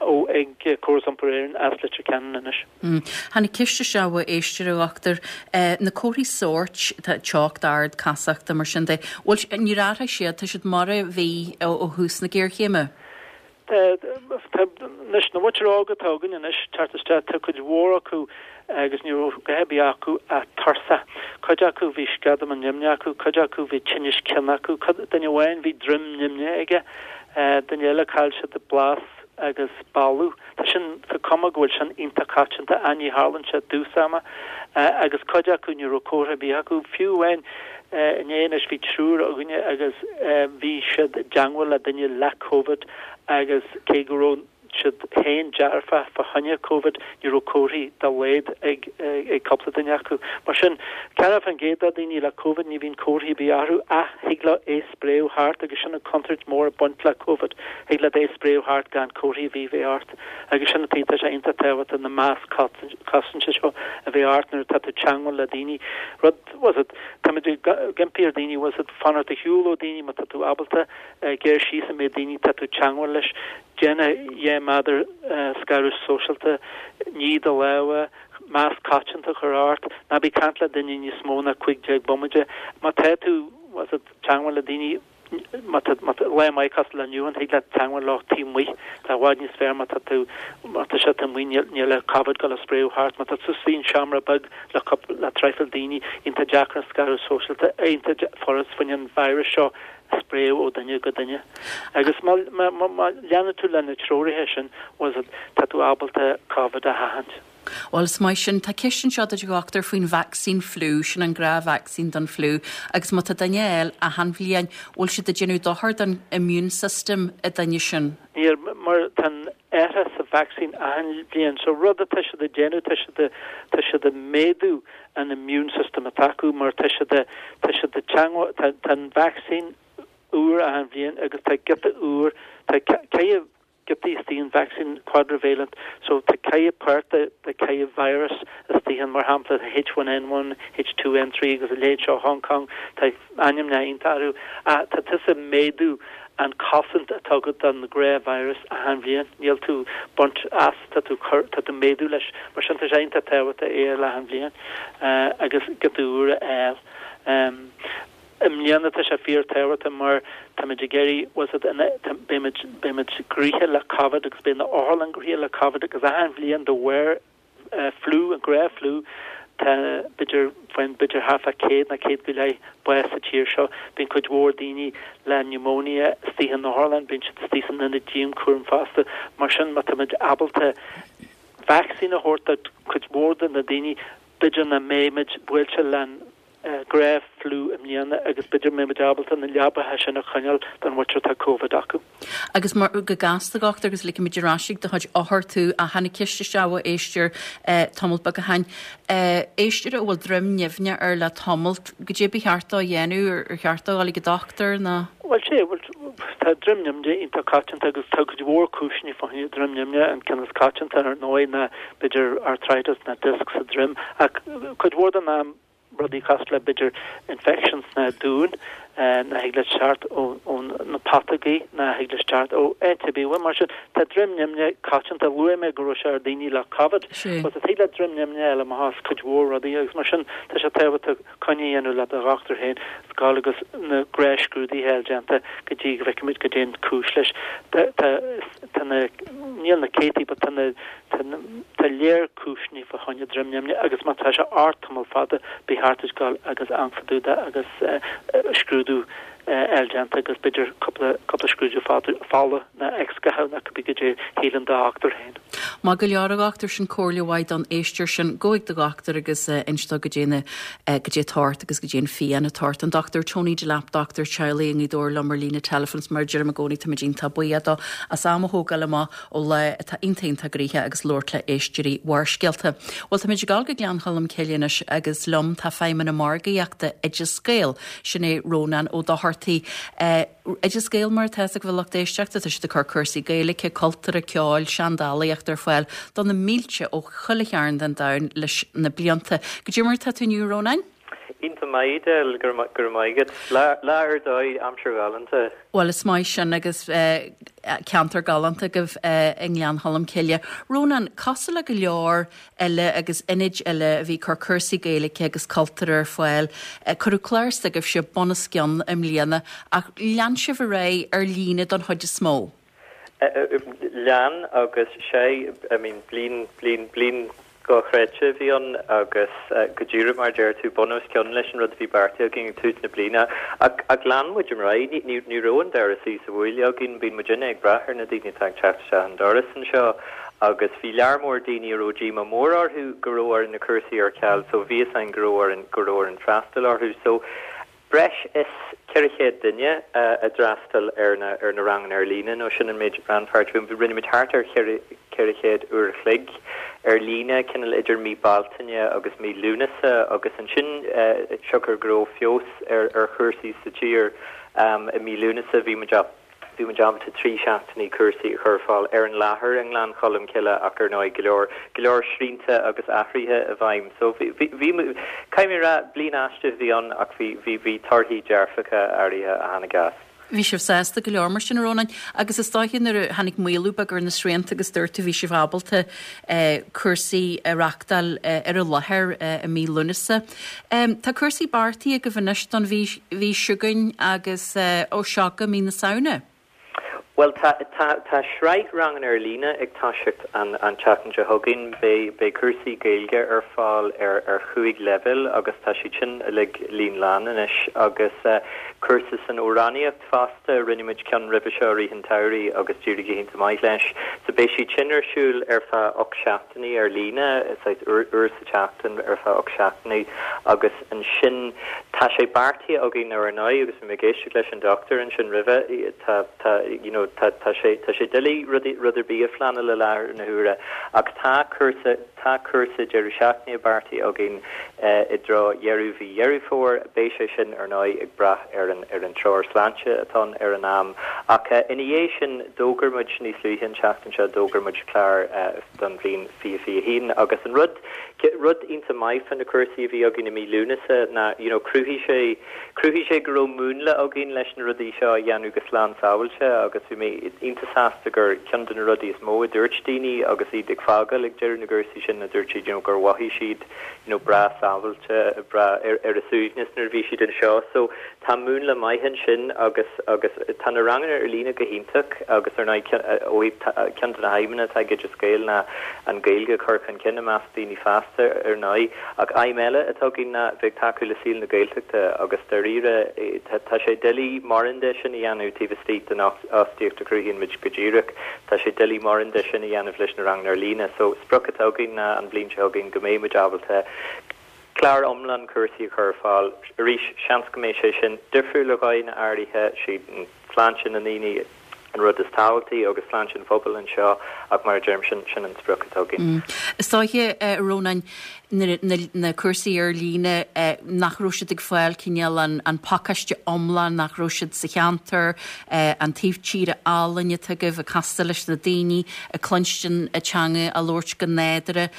ó, ag Córas Iompair Éireann as Leitir Ceanainn anois. Tháinig ceist isteach ó éisteoir, a dhochtúir. Na comharthaí sóirt, tá teocht ard, casacht, mar sin de, bhfuil, níor athraigh siad, tá siad mar a bhí ó thús na géarchéime? Tá anois, na muintir óga atá againn anois ag teacht isteach, tá cuid mhór acu agus ní raibh a dhath ar bith acu ach tuirseach. Cuid acu bhí sceadamán nimhneach acu, cuid acu bhí tinneas cinn acu, cuid, duine amháin bhí droim nimhneach aige, duine eile chaill siad blas agus boladh. Tá sin, tá cuma go bhfuil sin iontach coitianta ach ní tharlaíonn sé i dtús ama. Agus cuid acu ní raibh comhartha ar bith acu. Fiú amháin inné anois bhí triúr againne agus bhí siad i dteangmháil le duine le Covid agus cé go raibh siad féin dearfach fá choinne Covid ní raibh comharthaí dá laghad ag ag cúpla duine acu. Mar sin, 40% de dhaoine le Covid ní bhíonn comharthaí ar bith orthu ach thig leo é spréadh thart agus sin an chontúirt mór ag baint le Covid, thig leat é spréadh thart gan comharthaí ar bith a bheith ort agus sin an tuige tá sé iontach tábhachtach na masc cosainte seo a bheith ort nuair atá tú ag teangmháil le daoine. Rud, bhfuil 's a'd, táimid ag impí ar daoine, bhfuil 's a'd, fanacht ar shiúl ó daoine má tá tú ábalta, géar síos an méid daoine atá tú ag teangmháil leis, déan 2 méadar scaradh sóisialta, nigh do lámha, masc coitianta a chur ort, ná bí ag caint le duine níos mó ná 15 bomaite, má tá tú, bhfuil 's a'd, teangmháil le daoine, má tá, má tá lá maith cosúil le inniu, thig leat teangmháil leo taobh amuigh, tá i bhfad níos fearr má tá tú, má tá siad taobh amuigh, níl, níl an Covid ag dul a spréadh thart, má tá tú istigh in seomra beag le cúpla, le traidhfil daoine, iontach deacair an scaradh sóisialta, iontach furast fá choinne an virus seo a spréadh ó duine go duine. Agus má, má, má, má leanann tú le na treoraithe sin, bhfuil 's a'd, tá tú ábalta Covid a sheachaint. Bhuel, is maith sin. Tá ceist anseo duit, a dhochtúir, faoin vacsaín fliú, sin an gnáth-vacsaín don fliú, agus má tá duine á fháil achan bhliain, bhfuil siad ag déanamh dochar don immune system an duine sin? Níl, mar tá an athrach sa vacsaín achan bhliain. So rud atá siad ag déanamh, tá siad, tá siad ag méadú an immune system atá acu mar tá siad, tá siad ag teangmháil, tá, tá an vacsaín úr achan bhliain agus tá giota úr, tá, caithfidh. giotaí istigh an vacsaín quadrivalent so tá ceithre páirt de ceithre virus istigh ann mar shampla tá H1N1, H2N3 agus a leithéid seo Hong Kong tá ainmneacha iontach orthu ach tá tusa ag méadú an cosaint atá agat don ghnáth virus achan bhliain níl tú baint as tá tú cur tá tú méadú leis mar sin tá sé iontach tábhachtach é a fháil achan bhliain agus giota úr a fháil. I mbliana tá sé fíor tábhachtach mar táimid ag iarraidh, bhfuil 's agat, beimid, beimid gnoitheach le Covid agus beidh na otharlann gnoitheach le Covid agus achan bhliain de bharr fliú, an gnáth fliú, tá b'fhéidir, faigheann b'fhéidir thart fá 100 nó 100 go leith bás sa tír seo. Bíonn cuid mhór daoine le pneumonia istigh in otharlann, bíonn siad istigh san ionad dianchúraim fosta. Mar sin má táimid ábalta vacsaín a thabhairt do chuid mhór de na daoine, b'fhéidir nach mbeimid buailte le gnáth fliú i mbliana agus b'fhéidir go mbeimid ábalta na leabaithe sin a choinneáil don mhuintir atá Covid acu. Agus mar, go gasta, a dhochtúir, agus ligfimid ar ais ag do chuid othar tú, ach tháinig ceist isteach ó éisteoir tamalt beag ó shin. Éisteoir a bhfuil droim nimhneach air le tamalt, goidé ba cheart dó a dhéanamh, ar cheart dó dul ag an dochtúir nó? Bhuel, sé, bhuel, tá droim nimhneach iontach coitianta agus tá cuid mhór cúiseanna fá choinne droim nimhneach, an ceann is coitianta ar ndóigh ná b'fhéidir arthritis nó disc sa droim ach cuid mhór den am rudaí cosúil le b'fhéidir infection sna duáin nach thig leat teacht ó na putógaí nach thig leis teacht ó áit ar bith. Bhuel mar sin tá droim nimhneach coitianta. Luaigh mé go raibh sé ar daoine le Covid. Bhuel thig le droim nimhneach a fháil amach as cuid mhór rudaí agus mar sin tá sé tábhachtach coinne a dhéanamh le do dhochtúir féin is gabháil agus na gnáthscrúduithe a fháil déanta go dtí go bhfeicfimid goidé an cúis leis. Tá tá na níl na céadtaí but tá na Tá léar cúiseanna fá choinne droim nimhneach agus má tá sé ort tamall fada ba cheart duit gabháil agus amharc fá dtaobh de agus scrúdú a fháil déanta agus b'fhéidir cúpla cúpla scrúdú fola nó x-gha nó cibé goidé a shíleann do dhochtúir féin. Maith go leor a dhochtúir, sin comhairle mhaith don éisteoir sin. Gabh chuig do dhochtúir agus inis dó goidé na goidé atá ort agus goidé an phian atá ort. An Dr Tony Delap, dochtúir teaghlaigh i nGaoth Dobhair liom ar líne teileafóin is mar a deirim i gcónaí táimid iontach buíoch dó as am a thógáil amach ó lá atá iontach iontach gnoitheach agus labhairt le éisteoirí Bharrscéalta. Bhuel, táimid ag dul go Gleann Cholm Cille anois agus liom tá Feidhmeannach Margaíochta Oideas Gael, sin é Rónán Ó Dochartaigh. Oideas Gael mar atá fhios ag bhur lucht éisteachta, tá siad ag cur cúrsaí Gaeilge, cultúrtha, ceoil, seandálaíochta ar fáil do na mílte ó chuile chearn den domhan leis na blianta. Goidé mar atá tú inniu, a Rónáin? Iontach maith, Edel, go raibh maith agat. Lá ar dóigh, aimsir ghalánta. Bhuel, is maith sin agus ceantar galánta agaibh i nGleann Cholm Cille. Rónán, cosúil le go leor eile agus ionaid eile a bhí ag cur cúrsaí Gaeilge agus cultúrtha ar fáil, cuireadh clár s'agaibhse bunoscionn i mbliana ach lean sibh ar aghaidh ar líne don chuid is mó. Lean agus sé, I mean, bliain, bliain, bliain dhochreidte a bhí ann agus go díreach mar a deir tú, bun os cionn leis an rud a bhí beartaithe againn ag tús na bliana. Ach, ach lean muid ar aghaidh, ní, ní, ní raibh an doras thíos an bhuaile againn, bíonn muidinne ag brath ar na daoine atá ag teacht isteach an doras anseo agus bhí lear mór daoine a raibh díomá mór orthu go raibh orainn na cúrsaí ar ceal so bhí fhios againn go raibh orainn, go raibh orainn freastal orthu. So, Breis is 400 duine a d'fhreastail ar na ar na ranganna ar líne, nó sin an méid rannpháirtí. Rinne muid thart ar 400 uair a chloig ar líne, cineál idir mí Bealtaine agus mí Lúnasa, agus ansin siocair go raibh feabhas ar ar chúrsaí sa tír i mí Lúnasa, bhí muid á Bhí muid ábalta 3 seachtainí cúrsaí a chur ar fáil ar an láthair i nGleann Cholm Cille ach ar ndóigh go leor, go leor srianta agus athruithe i bhfeidhm. So bhí, bhí, bhí, caithfidh mé a rá, bliain aisteach a bhí ann ach bhí, bhí, bhí torthaí dearfacha áirithe a tháinig as. Bhí sibh sásta go leor mar sin, a Rónáin, agus is dóiche nuair a tháinig maolú beag ar na srianta agus dúirt tú bhí sibh ábalta cúrsaí a reachtáil ar an láthair i mí Lúnasa. Tá cúrsaí beartaithe agaibh anois don mhí mhí seo chugainn agus ó seo go mí na Samhna. Bhuel, tá, tá, tá sraith ranganna ar líne ag toiseacht an, an tseachtain seo chugainn. Beidh, beidh cúrsaí Gaeilge ar fáil ar, ar chúig leibhéal agus tá siad sin uilig líon lán anois agus cúrsa san amhránaíocht fosta, rinne muid ceann roimhe seo i rith an tsamhraidh agus d'éirigh go hiontach maith leis. So beidh siad sin ar siúl ar feadh 8 seachtainí ar líne, saghas uair, uair sa tseachtain ar feadh 8 seachtainí agus ansin tá sé beartaithe againn ar ndóigh agus bhí mé ag éisteacht leis an dochtúir ansin roimhe, tá, tá, you know. tá tá sé tá sé doiligh rud rud ar bith a phleanáil i láthair na huaire ach tá cúrsa tá cúrsa deireadh seachtaine beartaithe againn i dtreo dheireadh mhí Dheireadh Fómhair. Beidh sé sin ar ndóigh ag brath ar an ar an treoir sláinte atá ann ar an am ach ina dhiaidh sin d'fhógair muid níos luaithe an tseachtain seo d'fhógair muid clár don bhliain 2021 agus an rud rud iontach maith fá na cúrsaí a bhí againn i mí Lúnasa ná you know chruthaigh sé chruthaigh sé go raibh múnla againn leis na rudaí seo a dhéanamh go slán sábháilte agus bhí mé iontach sásta gur ceann de na rudaí is mó a dúirt daoine agus iad ag fágáil ag deireadh na gcúrsaí sin ná dúirt siad you know gur mhothaigh siad you know breá sábháilte breá ar ar a suaimhneas nuair a bhí siad anseo so Tá múnla maith ansin agus agus tá na ranganna ar líne go hiontach agus ar ndóigh ó thaobh ceann de na haidhmeanna atá ag Oideas Gael ná an Ghaeilge a chur chun cinn i measc daoine fásta ar ndóigh ach aidhm eile atá againn ná bheith ag tacú le saol na Gaeltachta agus dáiríre tá sé doiligh mórán de sin a dhéanamh taobh istigh den fhostaíocht a chruthaíonn muid go díreach. Tá sé doiligh mórán de sin a dhéanamh leis na ranganna ar líne so sprioc atá againn ná an bhliain seo chugainn go mbeidh muid ábalta Clár iomlán cúrsaí a chur ar fáil. Arís, seans go mbeidh sé sin difriúil ar dhóigheanna áirithe, sí sláinte na ndaoine an rud is tábhachtaí agus sláinte an phobail anseo ach mar a deirim, sin sin an sprioc atá againn. Is dóiche, a Rónáin, na cúrsaí ar líne, nach raibh siad ag fáil cineál an pacáiste iomlán, nach raibh siad sa cheantar, an taobh tíre álainn atá agaibh, ag castáil leis na daoine, ag cluinstin an teanga á labhairt go nádúrtha.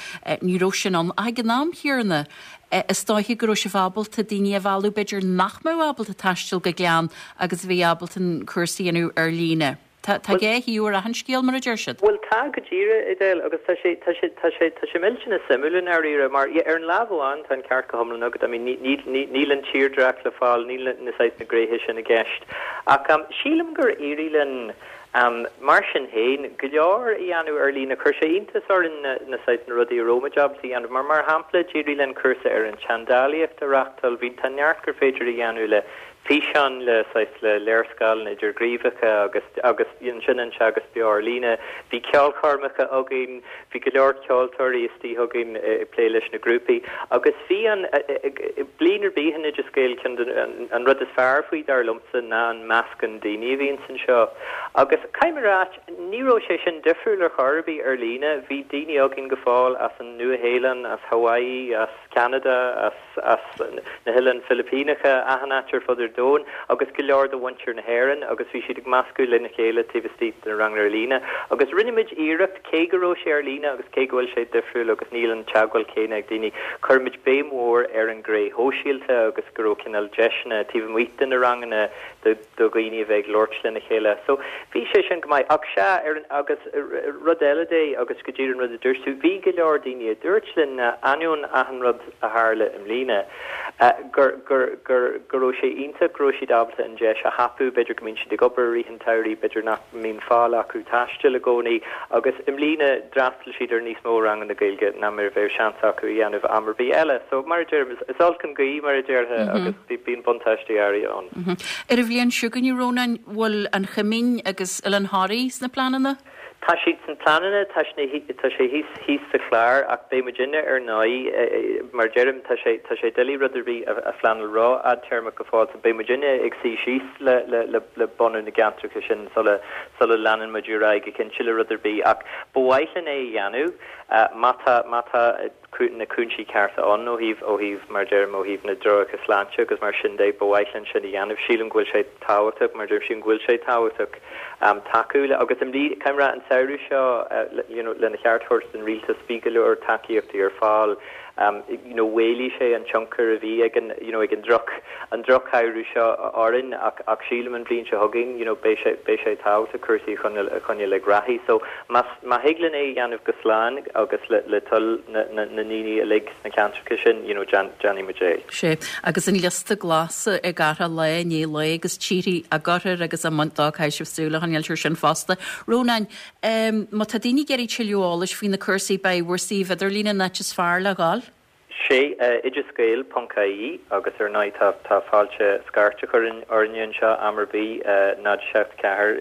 Ní raibh sin ann. Ach ag an am chéanna, is dóiche go raibh sibh ábalta daoine a mhealladh, b'fhéidir, nach mbeadh ábalta taisteal go Gleann agus a bhí ábalta an cúrsa a dhéanamh ar líne. Tá tá dhá thaobh ar achan scéal, mar a deir siad. Bhuel, tá, go díreach, Edel, agus tá sé, tá sé, tá sé, tá sé millteanach suimiúil i ndáiríre, mar, yeah, ar an lámh amháin, tá an ceart go hiomlán agat, I mean, ní, ní, ní, níl an tírdhreach le fáil, níl na, na saghas, na gnéithe sin i gceist. Ach, um, sílim gur éirigh linn, Mar sin féin, go leor a dhéanamh ar líne. Chuir sé iontas orainn na, na saghas, na rudaí a raibh muid ábalta a dhéanamh. Mar, mar shampla, d'éirigh linn cúrsa ar an tseandálaíocht a reáchtáil. Bhí, tá neart gur féidir a dhéanamh le físeáin, le saghas, le léarscáileanna idirghníomhacha agus, agus ansin an teagasc beo ar líne. Bhí ceolchoirmeacha againn, bhí go leor ceoltóirí istigh againn ag plé leis na grúpaí. Agus bhí an, bliain ar bith in Oideas Gael, ceann de, an rud is fearr faoi, dar liomsa, ná an meascán daoine a bhíonns anseo. Agus caithfidh mé a ráit, ní raibh sé sin difriúil ar chor ar bith ar líne. Bhí daoine againn go fóill as an Nua-Shéalainn, as Hawaii, as Ceanada, as as na hOileáin Philipíneacha, achan áit ar fud ar domhan, agus go leor de mhuintir na hÉireann, agus bhí siad ag meascadh lena chéile taobh istigh de na ranganna ar líne. Agus rinne muid iarracht, cé go raibh sé ar líne agus cé go bhfuil sé difriúil agus níl an teagmháil céanna ag daoine, chuir muid béim mhór ar an ghné shóisialta agus go raibh cineál deiseanna taobh amuigh de na ranganna do do dhaoine a bheith ag labhairt lena chéile. So, bhí sé sin go maith. Ach sea, ar an, agus rud eile de, agus go díreach an rud a dúirt tú, bhí go leor daoine a dúirt linn, ainneoin achan rud a tharla i mbliana, gur, gur, gur, go raibh sé iontach go raibh siad ábalta an deis a thapú, b'fhéidir go mbíonn siad ag obair i rith an tsamhraidh, b'fhéidir nach mbíonn fáil acu taisteal i gcónaí, agus i mbliana d'fhreastail siad ar níos mó ranganna Gaeilge ná mar a bheadh seans acu a dhéanamh am ar bith eile. So, mar a deirim, is, is olc an ghaoth, mar a déarfá, agus bíonn buntáistí áirithe ann. Ar an bhliain seo chugainn, a Rónáin, bhfuil an Choimín agus Oileán Thoraí sna pleananna? Tá siad sna pleananna, tá sé thíos, thíos sa chlár ach beidh muidinne ar ndóigh, mar a deirim, tá sé, tá sé doiligh rud ar bith a phleanáil ró-fhadtéarmach go fóill so beidh muidinne ag suí síos le, le, le, le bunadh na gceantracha sin sula, sula leanann muid ar aghaidh go cinnte le rud ar bith ach ba mhaith linn é a dhéanamh má tá, má tá. na cúinsí cearta ann ó thaobh, ó thaobh, mar a deirim, ó thaobh na dtreoracha sláinte agus mar sin de, ba mhaith linn sin a dhéanamh. Sílim go bhfuil sé tábhachtach, mar a deirim, sílim go bhfuil sé tábhachtach tacú le, agus i mbliana, caithfidh mé a rá, an samhradh seo, you know, lena cheart a thabhairt don rialtas, bhí go leor tacaíochtaí ar fáil, you know, mhaolaigh sé an tionchar a bhí ag an, you know, ag an droch, an drochshamhradh seo orainn ach, ach sílim an bhliain seo chugainn, you know, beidh sé, beidh sé tábhachtach cúrsaí a choinneáil, a choinneáil ag rath. So, más, Má thig linn é a dhéanamh go slán agus le toil na ndaoine uilig sna ceantracha sin, you know, déanfaidh muid é. Sea, agus an liosta glas ag athrú lá i ndiaidh lae agus tíorthaí á gcur air agus á mbaint dó, caithfidh sibh súil a choinneáil air sin fosta. Rónán, má tá daoine ag iarraidh tuilleadh eolais faoi na cúrsaí, beidh bhur suíomh idirlín an áit is fearr le dhul? Sé, oideasgael ponc ie agus ar ndóigh tá tá fáilte scairt a chur orainne anseo am ar bith, 0 7 4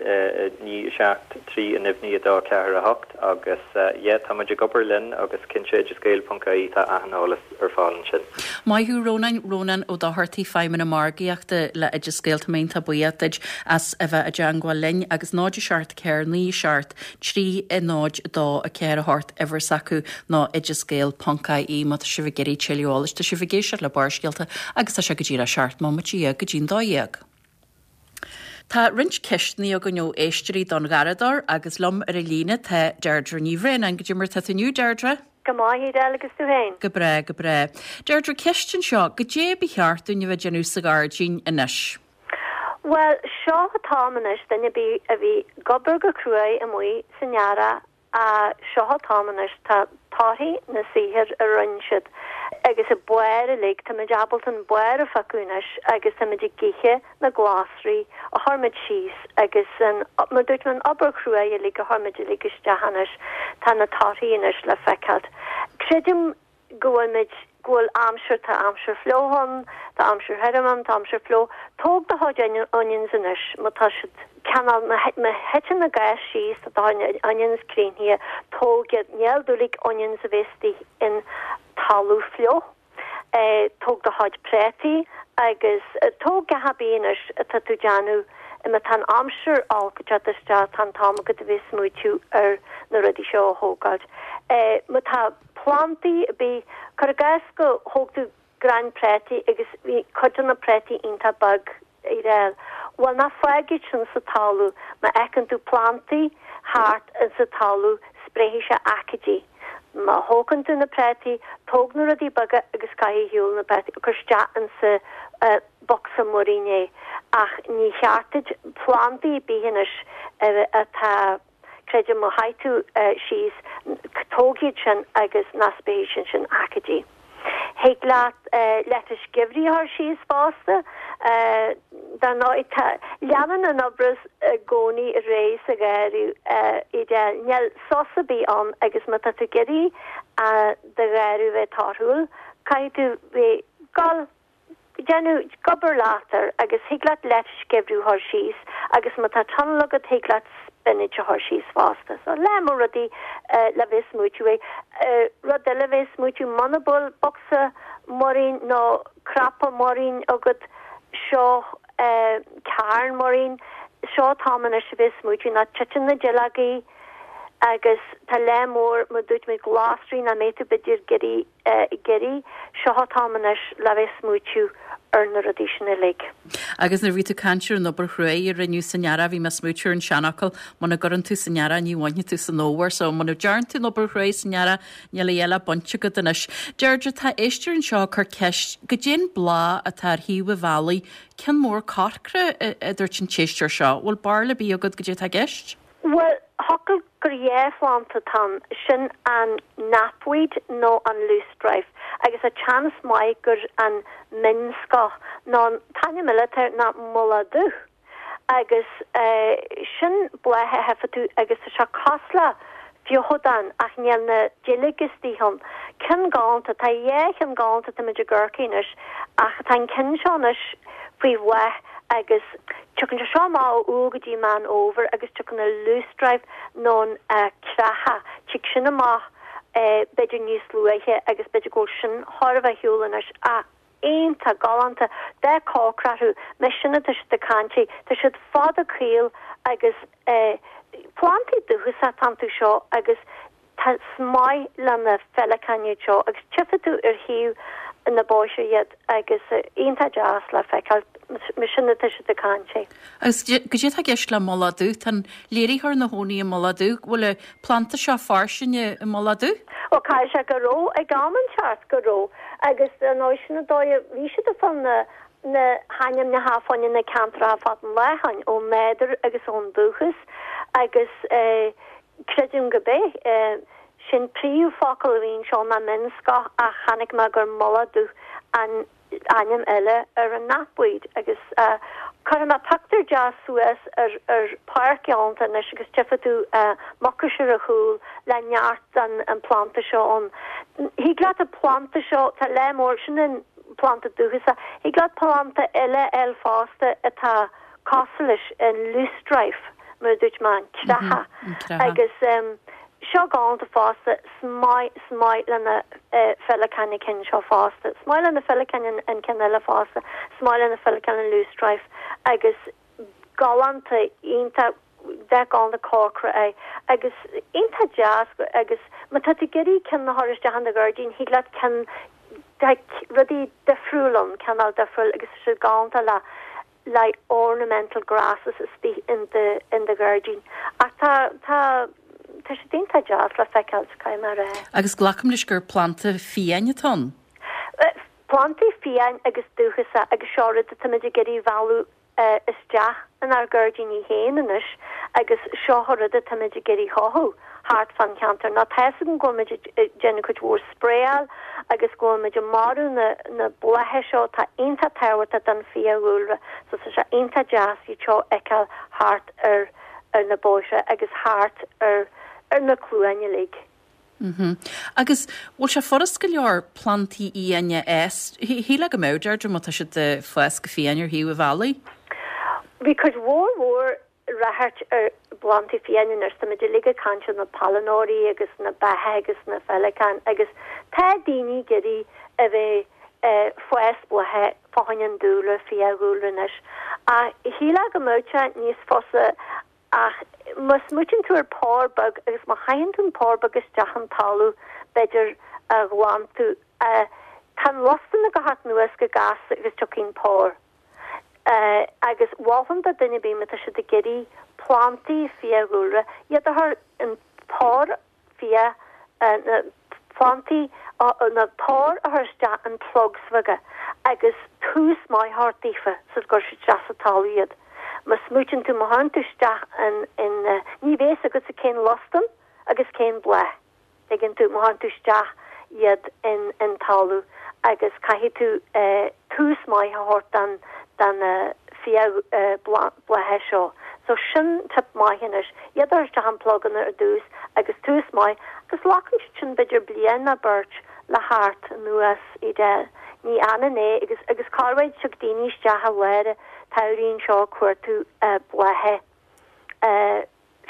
9 7 3 9 9 2 4 8 agus yeah tá muid ag obair linn agus cinnte oideasgael ponc ie tá achan eolas ar fáil ansin. Maith thú Rónáin, Rónán Ó Dochartaigh, Feidhmeannach Margaíochta le Oideas Gael, tá mé iontach buíoch duit as a bheith i dteangmháil linn agus 0 7 4 9 7 3 0 2 4 8 uimhir s'acu ná oideasgael ponc ie má tá sibh ag iarraidh tuilleadh eolais. Tá sibh ag éisteacht le Barrscéalta agus tá sé go díreach 17 móiméad go dtí'n 12. Tá roinnt ceisteanna againn ó éisteoirí don Gharradóir agus liom ar an líne tá Deirdre Ní Bhraonáin. Goidé mar tá tú inniu, Deirdre? Go maith, Edel, agus tú féin? Go breá, go breá. Deirdre, ceist anseo, goidé ba cheart dúinn a bheith ag déanamh sa ghairdín anois? Bhuel, seo an t-am anois, duine ar bith a bhí ag obair go cruaidh amuigh san earrach, seo an t-am anois, tá torthaí na saothair a rinne siad agus an barr uilig, táimid ábalta an barr a phiocadh anois agus táimid ag ithe na glasraí a chuir muid síos agus an, mar dúirt mé, an obair chruaidh uilig a chuir muid uilig isteach anois, tá na torthaí anois le feiceáilt. Creidim go bhfuil muid, go bhfuil aimsir, tá aimsir fliuch ann, tá aimsir thirim ann, tá aimsir fliuch. Tóg do chuid onions anois, má tá siad cineál, má thiteann na gais síos, tá do chuid onions críochnaithe, tóg iad. Níl doiligh onions a bheith istigh in talamh fliuch. Tóg do chuid préataí agus tóg gach ar bith anois atá tú déanamh, má tá an aimsir olc ag teacht isteach, tá an t-am agat a bheith smaoitiú ar na rudaí seo a thógáilt. Má tá. plandaí ar bith, cuir i gcás go thóg tú crann préataí agus bhí cuid de na préataí iontach beag ar fáil. Bhuel, ná fág iad sin sa talamh. Má fheiceann tú plandaí thart insa talamh, spréifidh sé aicídí. Má thógann tú na préataí, tóg na rudaí beaga agus caith ar shiúl na préataí, cuir isteach insa bocsa muirín é. Ach ní cheart duit plandaí ar bith anois atá. Creidim má chaith tú síos, tóg iad sin agus ná spréifidh siad sin aicídí. Thig leat leitis geimhridh a chur síos fosta. Dar ndóigh, tá, leanann an obair i gcónaí ar aghaidh sa gharraí, Edel. Níl sos ar bith ann agus má tá tú ag iarraidh do gharraí a bheith torthúil, caithfidh tú bheith ag gabháil déanamh ag obair leat air agus thig leat leitis geimhridh a chur síos agus má tá tunnel agat thig leat spinach a chur síos fosta. So lear mór rudaí le bheith ag smaoitiú air. Rud eile le bheith ag smaoitiú muna bhfuil bocsa muirín nó cnaipe muirín agat seo carn muirín seo an t-am anois a bheith ag smaoitiú ná titeann na duilleogaí agus tá lear mór mar dúirt mé glasraí nach mbeidh tú b'fhéidir ag iarraidh ag iarraidh. Seo an t-am anois le bheith smaoitiú ar na rudaí sin uilig. Agus nuair a bhí tú ag caint ar an obair chruaidh a rinneadh san earrach, bhí mé ag smaoitiú ar an seanfhocal, muna gcuireann tú san earrach ní bhainfidh tú san fhómhar. So muna dtearn tú an obair chruaidh san earrach, níl a dhath le baint agat anois. Deirdre, tá éisteoir anseo ag cur ceist, goidé an bláth atá ar thaobh an bhealaigh, ceann mór corcra, a dúirt an t-éisteoir seo. Bhfuil barúil ar bith agat goidé atá i gceist? Bhuel, thiocfadh gur dhá phlanda atá ann, sin an knapweed nó an loosestrife, agus tá seans maith gur an mhionscoth nó an t-ainm eile atá air ná mullach dubh. Agus sin bláth a fheicfidh tú agus tá sé cosúil le feothadán ach níl na duilleoga istigh ann. Ceann galánta, tá dhá cheann galánta táimid i gCorcaigh anois ach tá an ceann seo anois faoi bhláth agus tiocfaidh sé seo amach ó Iúil go dtí Meán Fhómhair agus tiocfaidh an loosestrife nó an creathach, tig sin amach b'fhéidir níos luaithe agus b'fhéidir go bhfuil sin chóir a bheith ar shiúl anois ach iontach galánta, dath corcra orthu, más sin atá siad ag caint air, tá siad fada caol agus plandaí dúchasacha atá iontu seo agus Tá is maith le na féileacáin iad seo agus tchífidh tú ar thaobh na bóithre iad agus iontach deas le feiceáil, mar sin atá siad ag caint air. Agus goidé atá i gceist le mullach dubh? Tá an léiritheoir ina chónaí i Mullach Dubh. Bhfuil an planda seo fairsing i Mullach Dubh? Bhuel, caithfidh sé go raibh ag am inteacht, go raibh. Agus ar ndóigh sin an dóigh a bhí siad ag fáil na na hainmneacha fá choinne na ceantracha fad an láthain, ón nádúr agus ón dúchas agus eh, Creidim go b'é sin príomhfhocal a bhí anseo ná mionscoth ach chonaic mé gur mullach dubh an ainm eile ar an knapweed agus. Cuirfidh mé pictiúr deas suas ar ar pháirc galánta anois agus tchífidh tú mucais ar a chúl le neart den an planda seo ann. Thig leat an planda seo, tá lear mór, sin an planda dúchasach, thig leat planda eile a fháil fosta atá cosúil leis, an loosestrife, mar a dúirt mé, an creathach. Agus seo galánta fosta, 's maith, 's maith le na féileacáin an ceann seo fosta. 's maith le na féileacáin an ceann eile fosta. 's maith le na féileacáin an loosestrife agus galánta, iontach, dath galánta corcra é agus iontach deas agus má tá tú ag iarraidh ceann a chur isteach in do ghairdín, thig leat ceann, tá rudaí difriúil ann, cineál difriúil agus tá siad galánta le like ornamental grasses istigh in do in do ghairdín. Ach tá tá tá siad iontach deas le feiceáil, caithfidh mé a rá. Agus glacaim leis gur planda fiáin atá ann? Plandaí fiáin agus dúchasach agus seo rud atáimid ag iarraidh mhealladh isteach inár gairdíní féin anois agus seo an rud atáimid ag iarraidh chothú. thart fán cheantar. Now tá fhios agam go bhfuil muid ag déanamh cuid mhór spraeáil agus go bhfuil muid ag marú na na blátha seo atá iontach tábhachtach don fiadhúlra so tá sé iontach deas iad seo a fheiceáil thart ar ar na bóithre agus thart ar ar na cluain uilig. Mhm. Agus bhfuil sé furast go leor plantaí fhiáine a fhás? Shílfeá go mbeadh, Deirdre, má tá siad ag fás go fiáin ar thaobh an bhealaigh. Bhí cuid mhór mhór ráchairt ar phlandaí fiáine anois. Táimid uilig ag caint ar na pailneoirí agus na beacha agus na féileacáin agus tá daoine ag iarraidh a bheith ag fás blátha fá choinne an dúlra, fiadhúlra anois. Ach shílfeá go mbeadh sé níos fusa ach má smaoitíonn tú ar pár beag agus má chaitheann tú an pár beag isteach an talamh b'fhéidir a ghlantú, tá an lostan ag teacht anuas go gasta agus tiocfaidh an pár. Agus mholfainn do duine ar bith má tá siad ag iarraidh plantaí fiadhúlra, iad a chur an pár fia, na plantaí, na pár a chur isteach in plugs bheaga agus tús maith a thabhairt daofa sula gcuir siad isteach sa talamh iad. Má smaoitíonn tú, má chuireann tú isteach in, in, ní bheidh fhios agatsa cén lostan agus cén bláth. Tuigeann tú, má chuireann tú isteach iad in in talamh agus caithfidh tú tús maith a thabhairt don don fia blátha seo. So sin tip maith anois, iad a chur isteach in pluganna ar dtús agus tús maith agus glacann siad sin b'fhéidir bliain nó beirt le theacht anuas Edel. Ní fhanann é agus agus corruair tig daoine isteach i lár an tsamhraidh anseo ag cuartú blátha.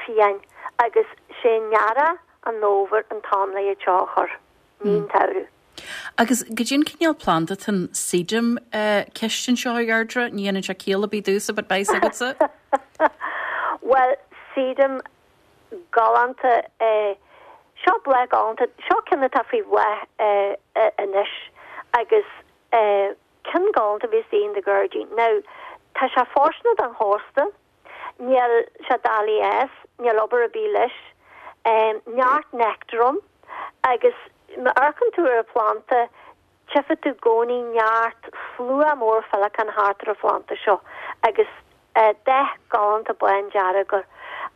fiáin agus sé earrach an fhómhair an t-am le iad seo a chur, ní an tsamhradh. Agus goidé an cineál planda atá ann Sedum ceist anseo a Dheirdre, ní dhéanann sé ciall ar bith domhsa but beidh 's agatsa. Bhuel Sedum galánta é, seo bláth galánta, seo ceann atá faoi bhláth anois agus ceann galánta a bheas in do ghairdín. Now tá sé fóirsteanach don chósta, Níl sé doiligh a fhás, níl obair ar bith leis. Neart nectar ann agus má amharcann tú ar an phlanda tchífidh tú i gcónaí neart slua mór féileacán thart ar an phlanda seo agus dath galánta bándearg air.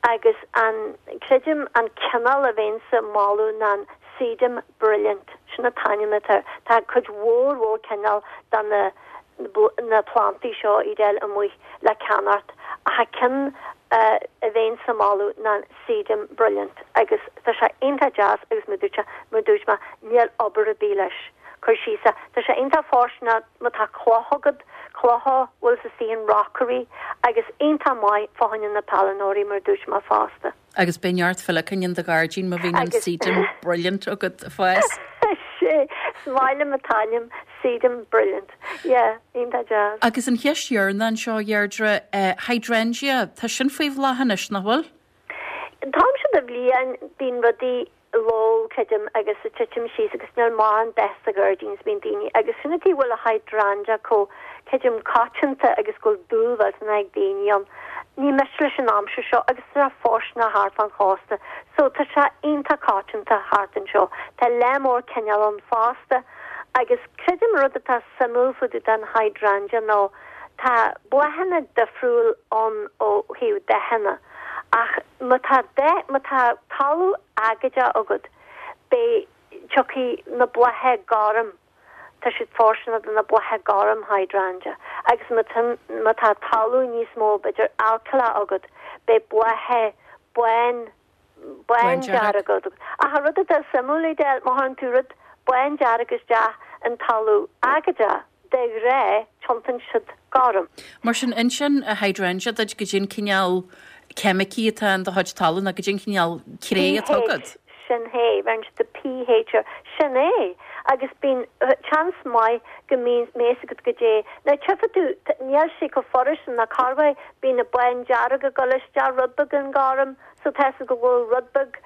Agus an, creidim, an cineál a bheinnse ag moladh ná an Sedum Brilliant, sin an t-ainm atá air. Tá cuid mhór mhór cineál de na na plantaí seo Edel amuigh le ceannacht ach an ceann a bheinnse ag moladh ná Sedum Brilliant agus tá sé iontach deas agus mar dúirt mar dúirt mé níl obair ar bith leis. Cuir síos é. Tá sé iontach fóirsteanach má tá cloch agat, clocha bhfuil istigh in rockery agus iontach maith fá choinne na pailneoirí mar dúirt mé fosta. Agus beidh neart féileacán in do ghairdín má bhíonn an Sedum Brilliant agat ag fás. Sé, is maith liom an t-ainm, Sedum Brilliant. Yeah, iontach deas. Agus an cheist dheireanach anseo, a Dheirdre, Hydrangea, tá sin faoi bhláth anois, nach bhfuil? An t-am seo de bhliain, bíonn rudaí lobh, creidim, agus ag titim síos agus níl mórán dath sa ghairdín is bíonn daoine agus sin an tuige a bhfuil an hydrangea chomh, creidim, coitianta agus go bhfuil dúil mhillteanach ag daoine ann. Ní miste leis an aimsir seo agus tá sé fóirsteanach thart fán chósta so tá sé iontach coitianta thart anseo. Tá lear mór cineál ann fosta agus creidim rud atá suimiúil fá dtaobh den hydrangea nó tá bláthanna difriúil ann ó thaobh dathanna. Ach má tá dath, má tá talamh aigéadach agat, beidh, tiocfaidh na blátha gorm. Tá siad fóirsteanach do na blátha gorm hydrangea agus má tá má tá talamh níos mó b'fhéidir alcaileach agat beidh blátha bán bándearg agat. Ach an rud atá suimiúil Edel, má chuireann tú rud bándearg isteach in talamh aigéadach, de ghnáth tiontaíonn siad gorm. Mar sin, insíonn an hydrangea duit goidé an cineál ceimicí atá in do chuid talún nó goidé an cineál cré atá agat. pH, sin é, bheireann siad do pH air, sin é. Agus bíonn seans maith go mbíonn meas agat goidé. Now tchífidh tú, níl sé chomh furast sin ná corruair, bíonn na bándearg ag dul isteach rud beag in gorm, so tá fhios agat go bhfuil rud beag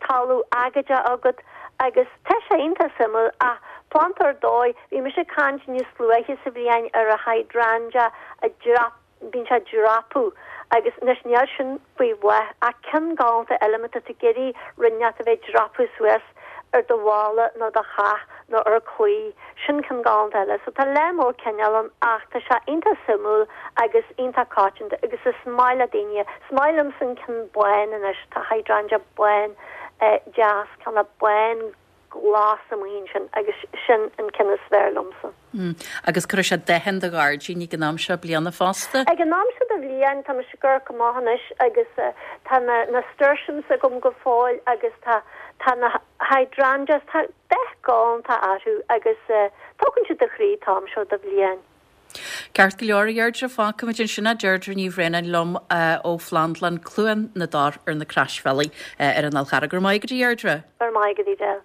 talamh aigéadach agat agus tá sé iontach suimiúil ach planda ar dóigh, bhí mise ag caint níos luaithe sa bhliain ar an hydrangea a dreap, bíonn sé ag dreapadh agus anois níl sin faoi bhláth ach ceann galánta eile má tá tú ag iarraidh rud inteacht a bheith ag dreapadh suas ar do bhalla nó do theach nó ar claí, sin ceann galánta eile. So tá lear mór cineál ann ach tá sé iontach suimiúil agus iontach coitianta agus is maith le daoine, is maith liomsa an ceann bán anois, tá hydrangea bán deas, ceann bán glas amuigh ansin agus sin an ceann is fearr liomsa. Agus cuirfidh sé dath in do ghairdín ag an am seo bliana fosta. Ag an am seo de bhliain tá mise ag amharc amach anois agus tá na nasturtiums agam go fóill agus tá tá na hydrangeas, tá dath galánta orthu agus tógann siad do chroí an t-am seo de bhliain. Ceart go leor, a Dheirdre, fágfaimid ansin é. Deirdre Ní Bhraonáin liom ó Phlandlann Cluain na dTor ar na Croisbhealaí ar an Fhál Charrach. Go raibh maith agat, a Dheirdre. Go raibh maith agat, Edel.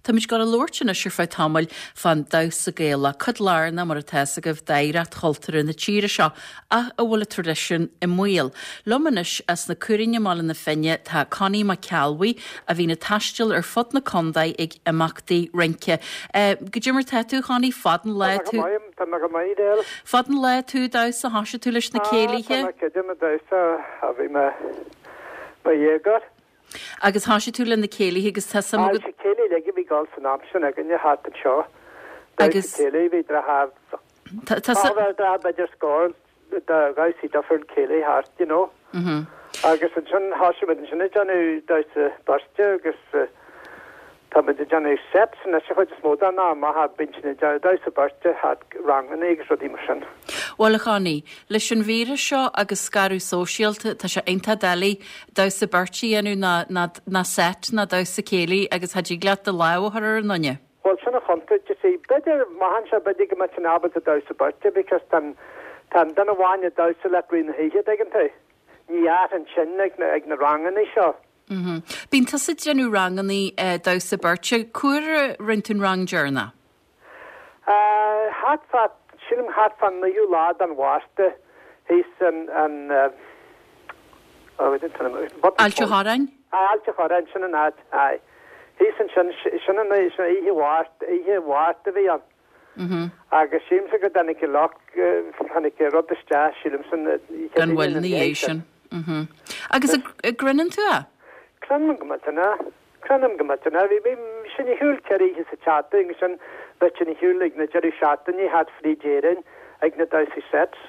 Táimid ag dul a labhairt anois ar feadh tamaill fán damhsa Gaelach, cuid lárnach, mar atá fhios agaibh, d'oidhreacht chultúrtha na tíre seo, ach a bhfuil an traidisiún i mbaol. Liom anois as na Caorainn i mBaile na Finne tá Connie Mac Ceallbhuí, a bhíonn ag taisteal ar fud na contae ag imeachtaí rince. Goidé mar tá tú, a Chonnie? Fad an lá tú. Tá mé go maith, Edel. Fad an lá tú ag damhsa, thoisigh tú leis na céilithe? Tá mé cidim ag damhsa ó bhí mé mo dhéagóir. Agus thoisigh tú le na céilithe agus tá suim agat. Sea, céilí uilig a bhí ag dul san am sin againne thart anseo. Damhsa céilí, bhí deartháir, Tá suim. Deartháir b'fhéidir scór de dhamhsaí difriúil céilí thart, you know. Agus ansin thosaigh muid ansin ag déanamh damhsa beirte agus tá muid ag déanamh sets anois an chuid is mó den am ach bíonn sin ag déanamh damhsa beirte thart ranganna agus rudaí mar sin. Bhuel a Chonnie, leis an víreas seo agus scaradh sóisialta tá sé iontach doiligh damhsa beirte a dhéanamh ná ná ná set ná damhsa céilí agus cha dtig leat do lámh a chur ar an nduine. Bhuel, sin an chontúirt, you see. B'fhéidir, amach anseo, b'fhéidir go mbeadh sinn ábalta damhsa beirte because tá an, tá an duine amháin ag damhsa leat rith na hoíche, dtuigeann tú. Ní fhéadfainn sin ag na, ag na rangannaí seo. Mm-hmm. Bíonn tusa ag déanamh rangannaí damhsa beirte. Cá huair a rinne tú an rang deireanach? Eh, thart fá, sílim thart fán naoú lá den Mhárta, thíos in, in, eh, oh, I didn't tell him, what Ailt a' Chorráin? Aye, Ailt a' Chorráin, sin an áit, aye. Thíos ansin, sin an oíche Mháirt, oíche Mháirt a bhí ann. Agus sílimse go dtáinig an lucht, tháinig an rud isteach, sílimse, an oíche Gan mhoill ina dhiaidh sin. Agus an gcruinneann tú é? Cruinnim go millteanach, cruinnim go millteanach. Bhí, bhí sinn ar shiúl 4 oíche sa tseachtain agus sin bheadh sinn ar shiúl ag na deireadh seachtaine thart fríd Éirinn ag na damhsaí sets.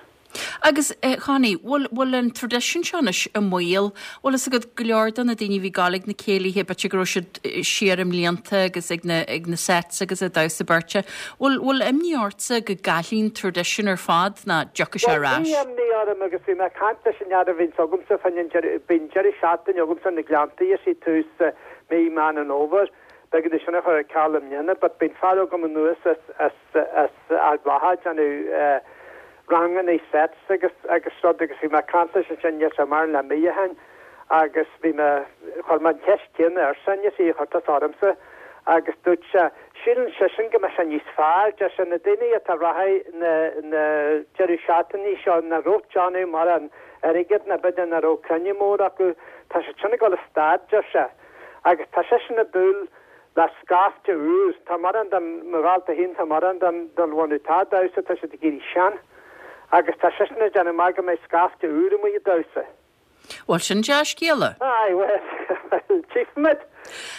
Agus, a Chonnie, bhfuil, bhfuil an traidisiún seo anois i mbaol? Bhfuil fhios agat go leor de na daoine a bhí ag gabháil ag na céilithe, b'fhéidir go raibh siad siar i mblianta agus ag na, ag na sets agus ag damhsa beirte. Bhfuil, bhfuil imní ortsa go gcaillfidh an traidisiún ar fad ná dtiocfaidh sé ar Bhuel, ais? bhí imní orm agus bhí mé ag caint leis an fhear a bhíonns agamsa fá choinne an deireadh, bíonn deireadh seachtaine agamsa na Gleanntaí, is í tús mí Meán an Fhómhair, b'éigean dom sin a chur ar ceal i mbliana, but bíonn fear agam anuas as, as, as Ard Mhacha ag déanamh rangannaí sets agus agus rud agus bhí mé ag caint leis ansin níl sé maireann le mí ó shin agus bhí mé, chuir mé an cheist chéanna airsean, you see, a chuir tusa ormsa agus dúirt sé, síleann seisean go mbeidh sé níos fearr, deir sé, na daoine atá rachaidh na na deireadh seachtainí seo nach raibh ag déanamh mórán airgead ná b'fhéidir nach raibh cruinniú mór acu, tá siad sin ag dul a stad, deir sé, agus tá seisean ag dúil Le scaifte úr. Tá mórán den, mo dhalta féin, tá mórán den, den bhunadh atá ag damhsa, tá siad ag éirí sean. Agus tá seisean ag déanamh amach go mbeidh scaifte úr amuigh ag damhsa. Bhuel, sin dea-scéala. Aye, well, well, tchífimid.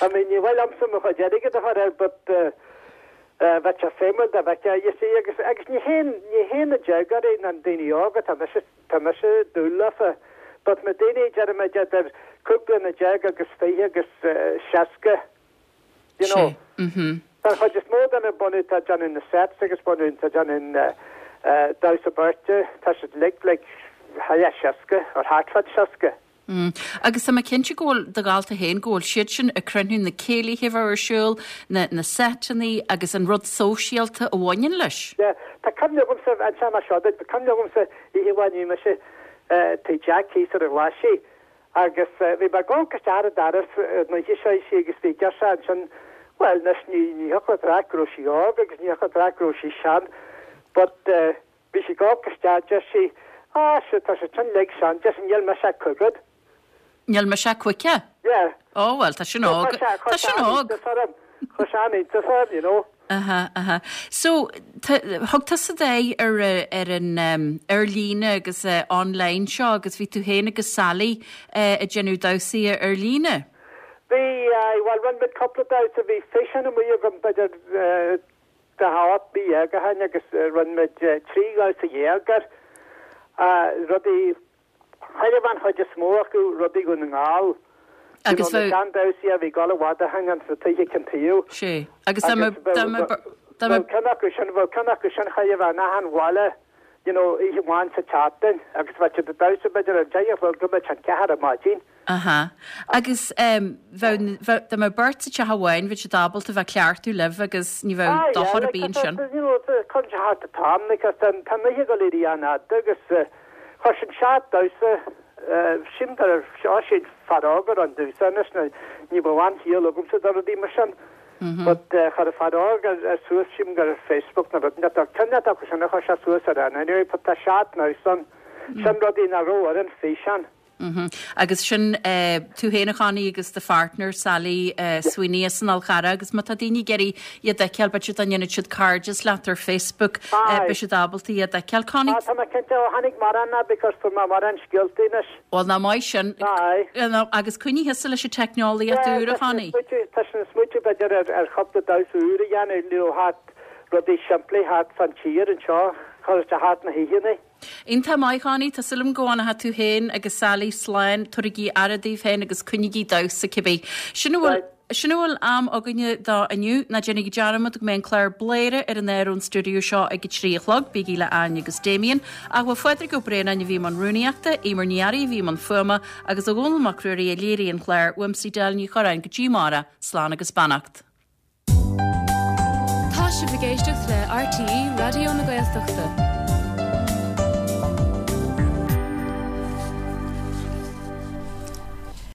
I mean, ní mhaith liomsa mo chuid airgid a chur air but eh, bheadh sé suimiúil dá bhfeicfeá, you see, agus, agus ní hé, ní hé na déagóirí ná na daoine óga, tá mise, tá mise ag dúil leofa. But na daoine, deirimid, idir 15 bliana agus 20 agus 60, you know. Sé. Mhm. Don chuid is mó de na bunú atá ag déanamh na sets agus bunú atá ag déanamh damhsa beirte, tá siad uilig like high 60 or thart fá 60. Mm. Agus tá mé cinnte go bhfuil do dhalta féin, go bhfuil siad sin ag cruinniú na céilithe a bheadh ar siúl, na, na seiteanna agus an rud sóisialta a bhaineann leis. Yeah, tá cuimhne agamsa, inseoidh mé seo duit, tá cuimhne agamsa oíche amháin bhí mise tigh Jack thíos ar an Ghlaisigh agus bhí mé ag amharc isteach ar an doras an oíche seo you see agus bhí girseach ansin, bhuel anois ní, ní thiocfadh leat a rá go raibh sí óg agus ní thiocfadh leat a rá go raibh sí sean but bhí sí ag amharc isteach, deir sí, ah sure tá siad sin uilig sean, deir sí níl mise ach caoga. Níl mise ach caoga? Yeah. Oh well tá sin óg, tá sin óg. Chuir sé an-iontas orm, you know. Aha, aha. So, thug tusa d'aghaidh ar, ar an, ar líne agus online seo agus bhí tú féin agus Sally ag déanamh damhsaí ar líne. Bhí, aye, bhuel rinne muid cúpla damhsa, bhí físeán amuigh agam b'fhéidir 48 mí ó shin agus rinne muid 13 dhamhsa air, rudaí, Chuir an chuid is mó acu rudaí Dhún na nGall. Agus bheadh. Na seandamhsaí a bhí ag dul i bhfad ó shin ins na tithe ceann tuí. Sé. Agus dá mbeadh, dá mbeadh, dá mbeadh. Ceann acu sin, bheadh ceann acu sin chóir a bheith in achan bhaile, you know, oíche amháin sa tseachtain agus bheadh siad ag damhsa b'fhéidir ar 10 a chlog go mbeadh an ceathair ar maidin. Aha. Agus bheadh, bheadh, dá mbeadh beirt sa teach amháin, bheadh siad ábalta a bheith ag cleachtadh libh agus ní bheadh Ah, yeah, dochar ar like, bith ansin. you know, cuireann sé thart an t-am, like, tá an oíche ag dul ag éirí an-fhada agus chuir sin seacht damhsa, sílim gur seo siad fear óg a rinne damhsa anois, nó ní bheadh aon chiall agamsa do rudaí mar sin, but chuir an fear óg ar suas, sílim gur ar Facebook nó rud inteacht, ceann acu sin a chuir sé suas ar an anyway, but tá seacht ndamhsa ann, sin rudaí nach raibh ar an físeán. Agus sin tú féin a Chonnie agus do pháirtneir Sally Sweeney as an Fhál Charrach agus má tá daoine ag iarraidh iad a fheiceáil b'fhéidir dá ndéanfadh siad cairdeas leat ar Facebook beidh siad ábalta iad a fheiceáil. Connie. Tá mé cinnte ó tháinig mórán ná because fuair mé mórán scéaltaí anois. Bhuel nach maith sin. Aye. Agus coinnigh thusa leis an teicneolaíocht úr a Chonnie. Tá sin smaoitiú b'fhéidir ar chúpla damhsa úr a dhéanamh nó thart rudaí simplí thart fan tír anseo, chur isteach thart na hoícheanna. Iontach maith, Connie. Tá súil agam go bhfanfaidh tú féin agus Sally slán. Tabharaigí aire daoibh féin agus coinnígí damhsa cibé. Sin a bhfuil Sin a bhfuil am againne dó inniu. Ná déanaigí dearmad go mbeidh an clár Bladhaire ar an aer ón stiúideo seo ag a 3 a chlog. Bígí le Áine agus Damien. Ach bhuel Phádraig Ó Braonáin a bhí i mbun rúnaíochta, Eimear Ní Fhearraigh a bhí i mbun fuaime agus ó Dhónall Mac Ruairí a léirigh an clár. Uaimse Edel Ní Chorráin go dtí amárach. Slán agus beannacht. Tá sibh ag éisteacht le RTÉ Raidió na Gaeltachta.